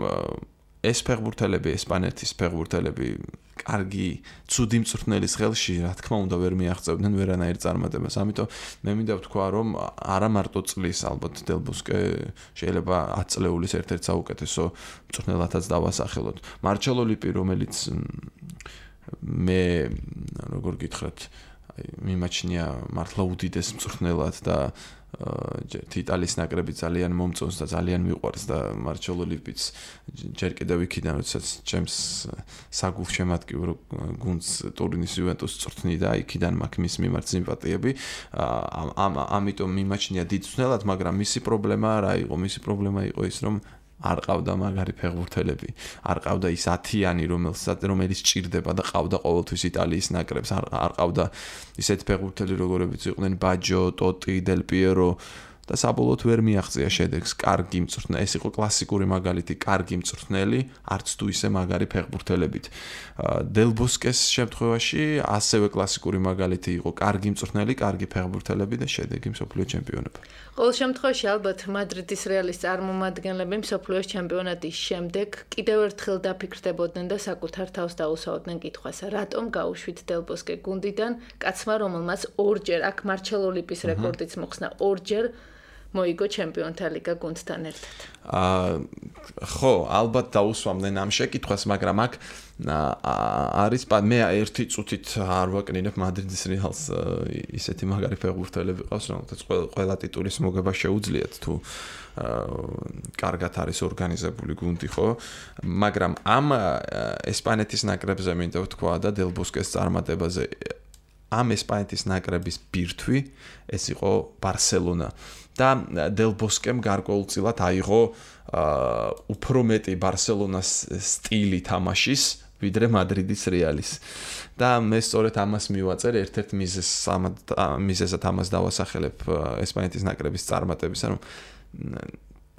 ეს ფეხბურთელები, ესპანეთის ფეხბურთელები კარგი, ცუდი მწვრთნელის ხელში, რა თქმა უნდა, ვერ მიაღწევდნენ ვერანაირ წარმატებას. ამიტომ მე მინდა ვთქვა, რომ არა მარტო წლის, ალბათ დელ ბოსკე შეიძლება 10 წლეულის ერთ-ერთ საუკეთესო მწვრთნელათაც დავასახელოთ. მარჩელო ლიპი, რომელიც მე როგორ გითხრათ, მიმაჩნია მართლა უდიდეს მწვრთნელად და იტალიის ნაკრები ძალიან მომწონს და ძალიან მიყვარს და მარჩელო ლიპიც ჯერ კიდევ იქიდან, როდესაც ჩემს საგულშემატკივრო გუნდს ტურინის იუვენტუსს წვრთნი და იქიდან მაქვს მის მიმართ სიმპათიები. ამიტომ მიმაჩნია დიდ მწვრთნელად, მაგრამ მისი პრობლემა რა იყო? მისი პრობლემა იყო ის, რომ არ ყავდა მაგარი ფეხბურთელები, არ ყავდა ის 10-იანი, რომელიც ჭირდება და ყავდა ყოველთვის იტალიის ნაკრებს, არ ყავდა ისეთი ფეხბურთელი, როგორებიც იყვნენ ბაჯო, ტოტი, დელ პიერო და საბოლოოდ ვერ მიაღწია შედეგს. კარგი მწვრთნელი, ეს იყო კლასიკური მაგალითი, კარგი მწვრთნელი, არც თუ ისე მაგარი ფეხბურთელებით. დელ ბოსკეს შემთხვევაში ასევე კლასიკური მაგალითი იყო, კარგი მწვრთნელი, კარგი ფეხბურთელები და შედეგი მსოფლიო ჩემპიონობა. ყოველ შემთხვევაში ალბათ მადრიდის რეალის წარმომადგენლები მსოფლიოს ჩემპიონატის შემდეგ კიდევ ერთხელ დაფიქრდებოდნენ და საკუთარ თავს დაუსვავდნენ კითხვას, რატომ გაუშვით დელ ბოსკე გუნდიდან კაცმა, რომელმაც ორჯერ აქ მარჩელო ლიპის რეკორდიც მოხსნა, ორჯერ მოიგო ჩემპიონთა ლიგა გუნდთან ერთად. ხო, ალბათ დაუსვამდნენ ამ შეკითხვას, მაგრამ აქ არის მე ერთი წუთით არ ვაკნინებ მადრიდის რეალს ისეთი მაგარი ფეხბურთელები ყავს, რომელთაც ყველა ტიტულის მოგება შეუძლიათ თუ კარგად არის ორგანიზებული გუნდი, ხო? მაგრამ ამ ესპანეთის ნაკრებზე მინდა ვთქვა და დელ ბოსკეს წარმატებაზე ამ ესპანეთის ნაკრების ბირთვი ეს იყო ბარსელონა და დელ ბოსკემ გარკვეულწილად აიღო უფრო მეტი ბარსელონას სტილი თამაშის ვიდრე მადრიდის რეალის და მე სწორედ ამას მივაწერ ერთ-ერთ მიზეზად ამას დავასახელებ ესპანეთის ნაკრების წარმატებისა, რომ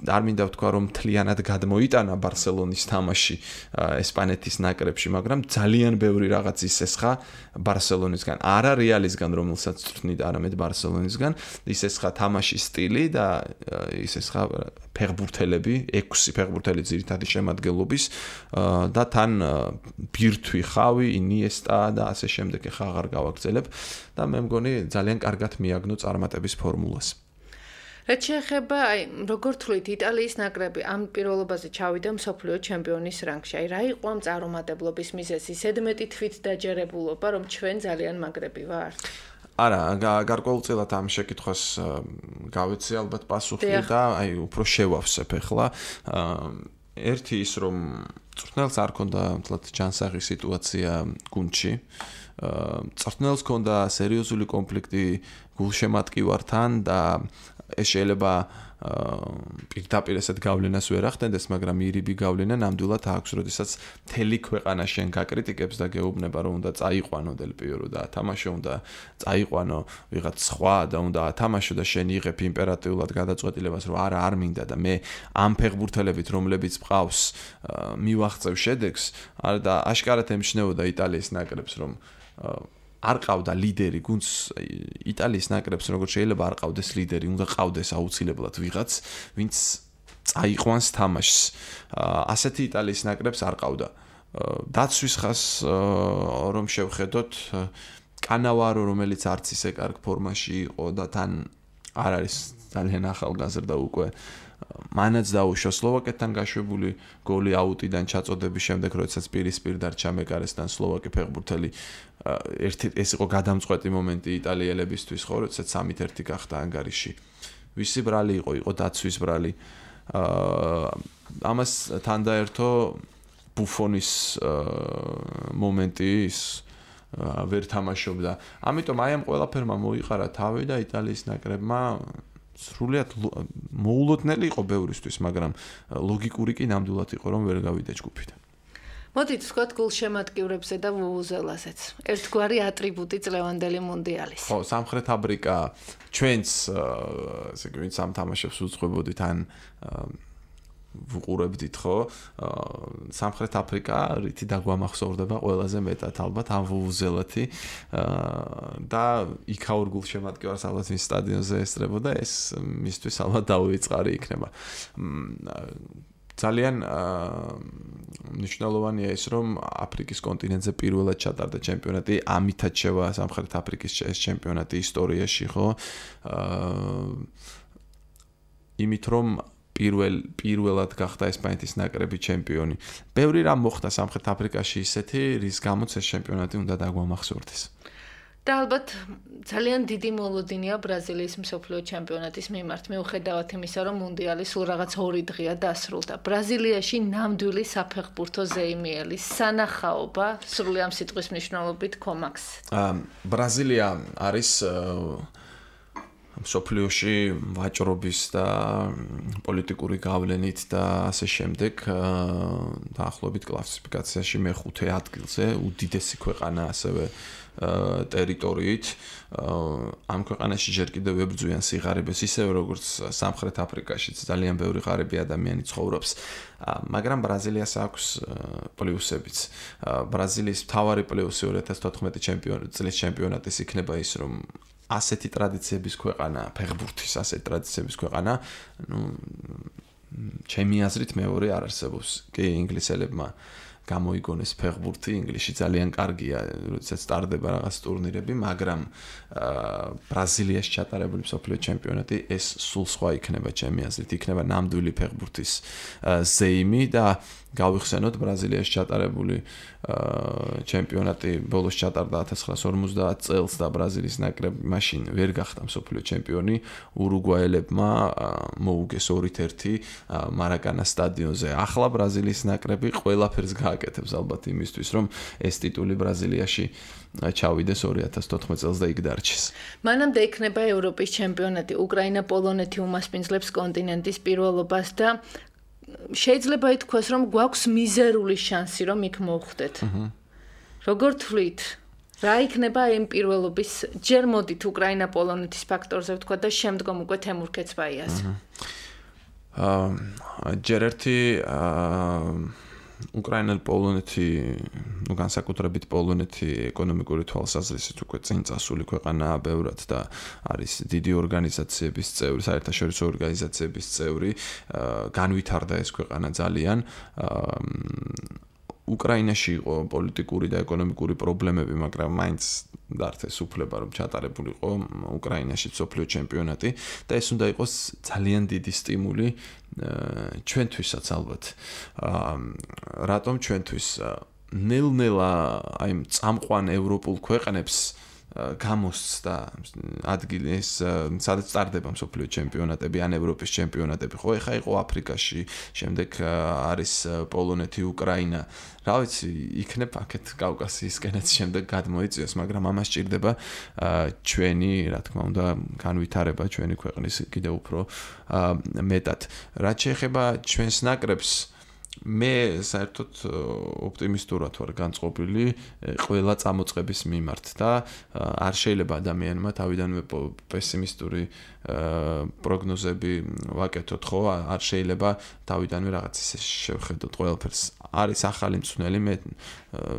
არ მინდა ვთქვა, რომ მთლიანად გადმოიტანა ბარსელონის თამაში ესპანეთის ნაკრებში, მაგრამ ძალიან ბევრი რაღაც ისესხა ბარსელონისგან, არა რეალისგან, რომელსაც წვრთნიდა, არამედ ბარსელონისგან, ისესხა თამაშის სტილი და ისესხა ფეხბურთელები, 6 ფეხბურთელი ძირითადი შემადგენლობის და თან ბირთვი, ხავი, ინიესტა და ასე შემდეგ, ხა აღარ გავაგრძელებ და მე მგონი ძალიან კარგად მიაგნო წარმატების ფორმულას. რაც შეეხება, როგორ თვლით, იტალიის ნაკრები ამ პირველობაზე ჩავიდა მსოფლიო ჩემპიონის რანგში. რა იყო ამ წარუმატებლობის მიზეზი? ზედმეტი თვით დაჯერებულობა, რომ ჩვენ ძალიან მაგრები ვართ? არა, გარკვეულწილად ამ შეკითხვას გავეცე ალბათ პასუხი და უფრო შევავსებ ახლა. ერთი ის, რომ მწვრთნელს არ ქონდა მთლად ჯანსაღი სიტუაცია გუნდში. მწვრთნელს ქონდა სერიოზული კონფლიქტი გულშემატკივართან და ეს შეიძლება პირდაპირ ესეთ გავლენას ვერ ახდენდეს, მაგრამ ირიბი გავლენა ნამდვილად აქვს, როდესაც მთელი ქვეყანა შენ გაკრიტიკებს და გეუბნება, რომ უნდა წაიყვანო დელ პიერო და ათამაშო, უნდა წაიყვანო ვიღაც სხვა და უნდა ათამაშო და შენ იღებ იმპერატიულად გადაწყვეტილებას, რომ არა, არ მინდა და მე ამ ფეხბურთელებით, რომლებიც მყავს, მივაღწევ შედეგს, და აშკარად ემჩნეოდა იტალიის ნაკრებს, რომ არ ყავდა ლიდერი გუნდს იტალიის ნაკრებს, როგორც შეიძლება არ ყავდეს ლიდერი, უნდა ყავდეს აუცილებლად ვიღაც, ვინც წაიყვანს თამაშს. ასეთი იტალიის ნაკრებს არ ყავდა. დაცვის ხას რომ შევხედოთ, კანავარო, რომელიც არც ისე კარგ ფორმაში იყო და თან არ არის ძალიან ახალგაზრდა უკვე, მანაც დაუშვა სლოვაკეთთან გაშვებული გოლი აუტიდან ჩაწოდების შემდეგ, როდესაც პირისპირ დარჩა მეკარესთან სლოვაკი ფეხბურთელი. ეს იყო გადამწყვეტი მომენტი იტალიელებისთვის, ხო, როდესაც 3-1 გახდა ანგარიში. ვისი ბრალი იყო დაცვის ბრალი. ამას თან დაერთო ბუფონის მომენტი, ის ვერ თამაშობდა. ამიტომ აი ამ ყველაფერმა მოიყარა თავი და იტალიის ნაკრებმა სრულიად მოულოდნელი იყო ბევრისთვის, მაგრამ ლოგიკური კი ნამდვილად იყო, რომ ვერ გავიდა ჯგუფიდან. მოდით ვთქვათ გულშემატკივრებზე და ვუვუზელაზეც. ერთგვარი ატრიბუტი წლევანდელი მუნდიალის. ხო, სამხრეთ აფრიკა ჩვენც ესე იგი ვინც ამ თამაშებს უძღვებოდით ან ვუყურებდით, ხო? სამხრეთ აფრიკა რითი დაგვამახსოვრდება ყველაზე მეტად ალბათ ამ ვუვუზელათი და იქაურ გულშემატკივარს ალბათ მის სტადიონზე ესწრებოდა, ეს მისთვის ალბათ დაუვიწყარი იქნება. ძალიან მნიშვნელოვანია ის, რომ აფრიკის კონტინენტზე პირველად ჩატარდა ჩემპიონატი, ამითაც შევა სამხრეთ აფრიკის ჩემპიონატი ისტორიაში, ხო? იმით რომ პირველად გახდა ესპანეთის ნაკრები ჩემპიონი. ბევრი რამ მოხდა სამხრეთ აფრიკაში ისეთი, რის გამოც ეს ჩემპიონატი უნდა დაგვამახსოვრდეს. და ალბათ ძალიან დიდი მოლოდინია ბრაზილიის მსოფლიო ჩემპიონატის მიმართ, მიუხედავად იმისა, რომ მუნდიალი სულ რაღაც 2 დღეა დასრულდა. ბრაზილიაში ნამდვილი საფეხბურთო ზეიმიელი სანახაობა, სრული ამ სიტყვის მნიშვნელობით, კომაქს. ბრაზილია არის სოფლიოში ვაჭრობის და პოლიტიკური გავლენით და ასე შემდეგ დაახლოებით კლასიფიკაციაში მე-5 ადგილზე, უდიდესი ქვეყანა ასევე ტერიტორიით. ამ ქვეყანაში ჯერ კიდევ ებრძვიან სიღარიბეს, ისევე როგორც სამხრეთ აფრიკაშიც ძალიან ბევრი ღარიბი ადამიანი ცხოვრობს. მაგრამ ბრაზილიას აქვს პლუსებიც. ბრაზილიის მთავარი პლუსი 2014 წლის ჩემპიონატის იქნება ის, რომ ასეთი ტრადიციების ქვეყანა, ფეხბურთის ასეთი ტრადიციების ქვეყანა, ჩემი აზრით მეორე არ არსებობს. კი, ინგლისელებმა გამოიგონეს ფეხბურთი, ინგლისში ძალიან კარგია, როდესაც სტარდება რაღაც ტურნირები, მაგრამ ბრაზილიაში ჩატარებული მსოფლიო ჩემპიონატი ეს სულ სხვა იქნება, ჩემი აზრით, იქნება ნამდვილი ფეხბურთის ზეიმი და გავიხსენოთ ბრაზილიაში ჩატარებული ჩემპიონატი ბოლოს ჩატარდა 1950 წელს და ბრაზილიის ნაკრები მაშინ ვერ გახდა მსოფლიო ჩემპიონი. ურუგვაელებმა მოუგეს 2-1 მარაკანას სტადიონზე. ახლა ბრაზილიის ნაკრები ყველაფერს გააკეთებს ალბათ იმისთვის, რომ ეს ტიტული ბრაზილიაში ჩავიდეს 2014 წელს და იქ დარჩეს. მანამდე იქნება ევროპის ჩემპიონატი. უკრაინა, პოლონეთი უმასპინძლებს კონტინენტის პირველობას და შეიძლება ითქვას, რომ გვაქვს მიზერული შანსი, რომ იქ მოვხვდეთ. როგორ თვლით? რა იქნება იმ პირველობის? ჯერ მოდით უკრაინა, პოლონეთის ფაქტორზე ვთქვა და შემდგომ უკვე თემურ ქეცბაიას. ჯერ ერთი უკრაინა, პოლონეთი, განსაკუთრებით პოლონეთი ეკონომიკური თვალსაზრისით უკვე წინ წასული ქვეყანაა ბევრად და არის დიდი ორგანიზაციების წევრი, საერთაშორისო ორგანიზაციების წევრი, განვითარდა ეს ქვეყანა ძალიან. უკრაინაში იყო პოლიტიკური და ეკონომიკური პრობლემები, მაგრამ მაინც დარჩეს უფლება, რომ ჩატარებულიყო უკრაინაში მსოფლიო ჩემპიონატი და ეს უნდა იყოს ძალიან დიდი სტიმული ჩვენთვისაც ალბათ. რატომ ჩვენთვის ნელ-ნელა აი წამყვან ევროპულ ქვეყნებს გამოსცდა ადგილი ეს სადაც სტარდება მსოფლიო ჩემპიონატები ან ევროპის ჩემპიონატები. ხო, ეხა იყო აფრიკაში, შემდეგ არის პოლონეთი, უკრაინა. რა ვიცი, იქნებ აქეთ კავკასიისკენაც შემდეგ გადმოიწიოს, მაგრამ ამას სჭირდება ჩვენი, რა თქმა უნდა, განვითარება ჩვენი ქვეყნის კიდევ უფრო მეტად. რაც შეეხება ჩვენს ნაკრებს, მე საერთოდ ოპტიმისტურად ვარ განწყობილი ყველა წამოწყების მიმართ და არ შეიძლება ადამიანმა თავიდანვე პესიმისტური პროგნოზები ვაკეთოთ, ხო? არ შეიძლება თავიდანვე რაღაც ისე შევხედოთ ყველაფერს. არის ახალი მწვრთნელი, მე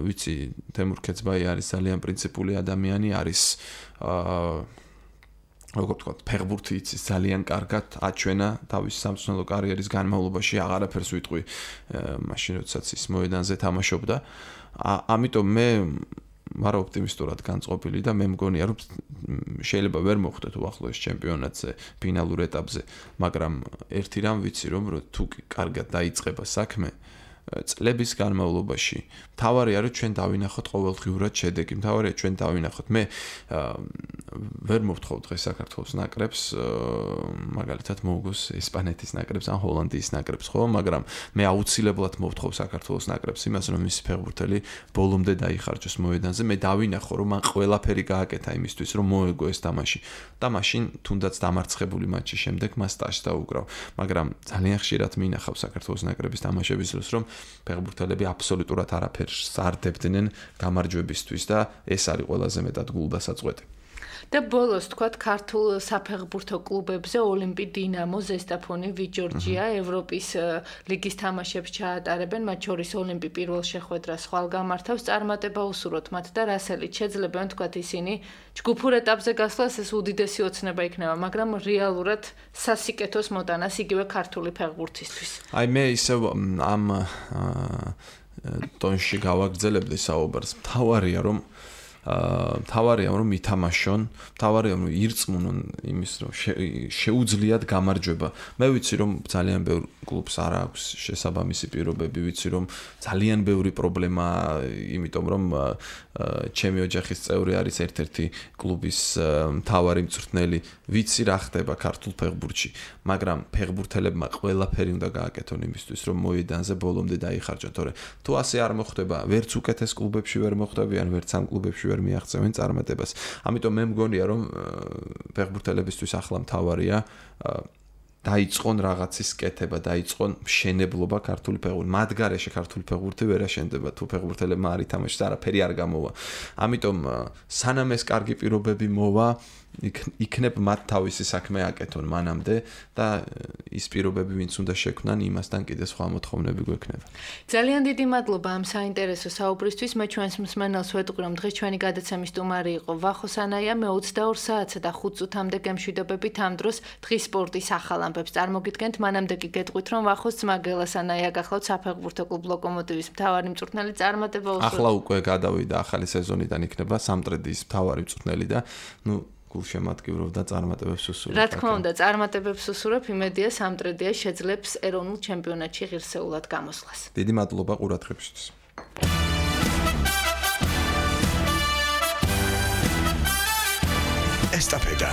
ვიცი, თემურ ქეცბაი არის ძალიან პრინციპული ადამიანი, არის როგორ ვთქვათ, ფეხბურთი იცის ძალიან კარგად, აჩვენა თავის სამწვრთნელო კარიერის განმავლობაში, აღარაფერს ვიტყვი მაშინ, როდესაც ის მოედანზე თამაშობდა. ამიტომ მე ვარ ოპტიმისტურად განწყობილი და მე მგონია, რომ შეიძლება ვერ მოხვდეთ უახლოეს ჩემპიონატზე, ფინალურ ეტაპზე, მაგრამ ერთი რამ ვიცი, რომ თუ კარგად დაიწყება საქმე, წლების განმავლობაში მთავარია, რომ ჩვენ დავინახოთ ყოველდღიურად შედეგი. მთავარია ჩვენ დავინახოთ. მე ვერ მოვთხოვ დღეს საქართველოს ნაკრებს, მაგალითად მოუგოს ესპანეთის ნაკრებს ან ჰოლანდიის ნაკრებს, ხო? მაგრამ მე აუცილებლად მოვთხოვ საქართველოს ნაკრებს იმას, რომ მისი ფეხბურთელი ბოლომდე დაიხარჯოს მოედანზე. მე დავინახო, რომ მან ყველაფერი გააკეთა იმისთვის, რომ მოეგო ეს თამაში. და მაშინ თუნდაც დამარცხებული მატჩის შემდეგ მას სტაჟს დაუკრავ. მაგრამ ძალიან ხშირად მინახავ საქართველოს ნაკრების თამაშების დროს, რომ ფეხბურთელები აბსოლუტურად არაფერს არ დებდნენ გამარჯვებისთვის და ეს არის ყველაზე მეტად გულდასაწყვეტი. და ბოლოს თქვათ ქართულ საფეხბურთო კლუბებზე ოლიმპი, დინამო, ზესტაფონი, ვიჯორჯია ევროპის ლიგის თამაშებს ჩაატარებენ, მათ შორის ოლიმპი პირველ შეხვედრას ხვალ გამართავს, წარმატება უსურვოთ მათ და რასელით შეძლებენ თქვათ ისინი ჯგუფურ ეტაპზე გასვლას ეს უდიდესი ოცნება იქნება, მაგრამ რეალურად სასიკეთოს მოტანას იგივე ქართული ფეხბურთისთვის. აი მე ისევ ამ ტონში გავაგრძელებდი საუბარს. მთავარია რომ ითამაშონ, მთავარია რომ ირწმუნონ იმის, რომ შეუძლიათ გამარჯვება. მე ვიცი რომ ძალიან ბევრ კლუბს არ აქვს შესაბამისი პირობები, ვიცი რომ ძალიან ბევრი პრობლემაა, იმიტომ რომ ჩემი ოჯახის წევრი არის ერთ-ერთი კლუბის მთავარი მწვრთნელი, ვიცი რა ხდება ქართულ ფეხბურთში, მაგრამ ფეხბურთელებმა ყველაფერი უნდა გააკეთონ იმისთვის, რომ მოედანზე ბოლომდე დაიხარჯონ, თორე თუ ასე არ მოხდება, ვერც უკეთეს კლუბებში ვერ მოხდებიან, ვერც ამ კლუბებში ვერ მიაღწევენ წარმატებას. ამიტომ მე მგონია რომ ფეხბურთელებისთვის ახლა მთავარია დაიწყონ რაღაცის კეთება, დაიწყონ მშენებლობა ქართული ფეხბურთი. მათ გარეშე ქართული ფეხბურთი ვერ აშენდება თუ ფეხბურთელებმა არ ითამაშეს, არაფერი არ გამოვა. ამიტომ სანამ ეს კარგი პირობები მოვა, იქნებ მათ თავისი საქმე აკეთონ მანამდე და ის პირობები ვინც უნდა შექმნან, იმასთან კიდე სხვა მოთხოვნები გვექნება. ძალიან დიდი მადლობა ამ საინტერესო საუბრისთვის. მე ჩვენს მსმენელს ვეტყვი, რომ დღეს ჩვენი გადაცემის სტუმარი იყო ვახო სანაია. მე 22 საათსა და 5 წუთამდე გემშვიდობებით ამ დროს დღის სპორტის ახალ ამბებს წარმოგიდგენთ. მანამდე კი გეტყვით, რომ ვახოს ძმა გელა სანაია გახლავთ საფეხბურთო კლუბ ლოკომოტივის მთავარი მწვრთნელი. წარმატება უსურვებთ. ახლა უკვე გადავიდა ახალი სეზონიდან იქნება სამტრედიის მთავარი მწვრთნელი და გულშემატკივრობ და წარმატებებს უსურვებ. რა თქმა უნდა, წარმატებებს უსურვებ. იმედია სამტრედია შეძლებს ეროვნულ ჩემპიონატში ღირსეულად გამოსვლას. დიდი მადლობა ყურადღებისთვის. ესტაფეტა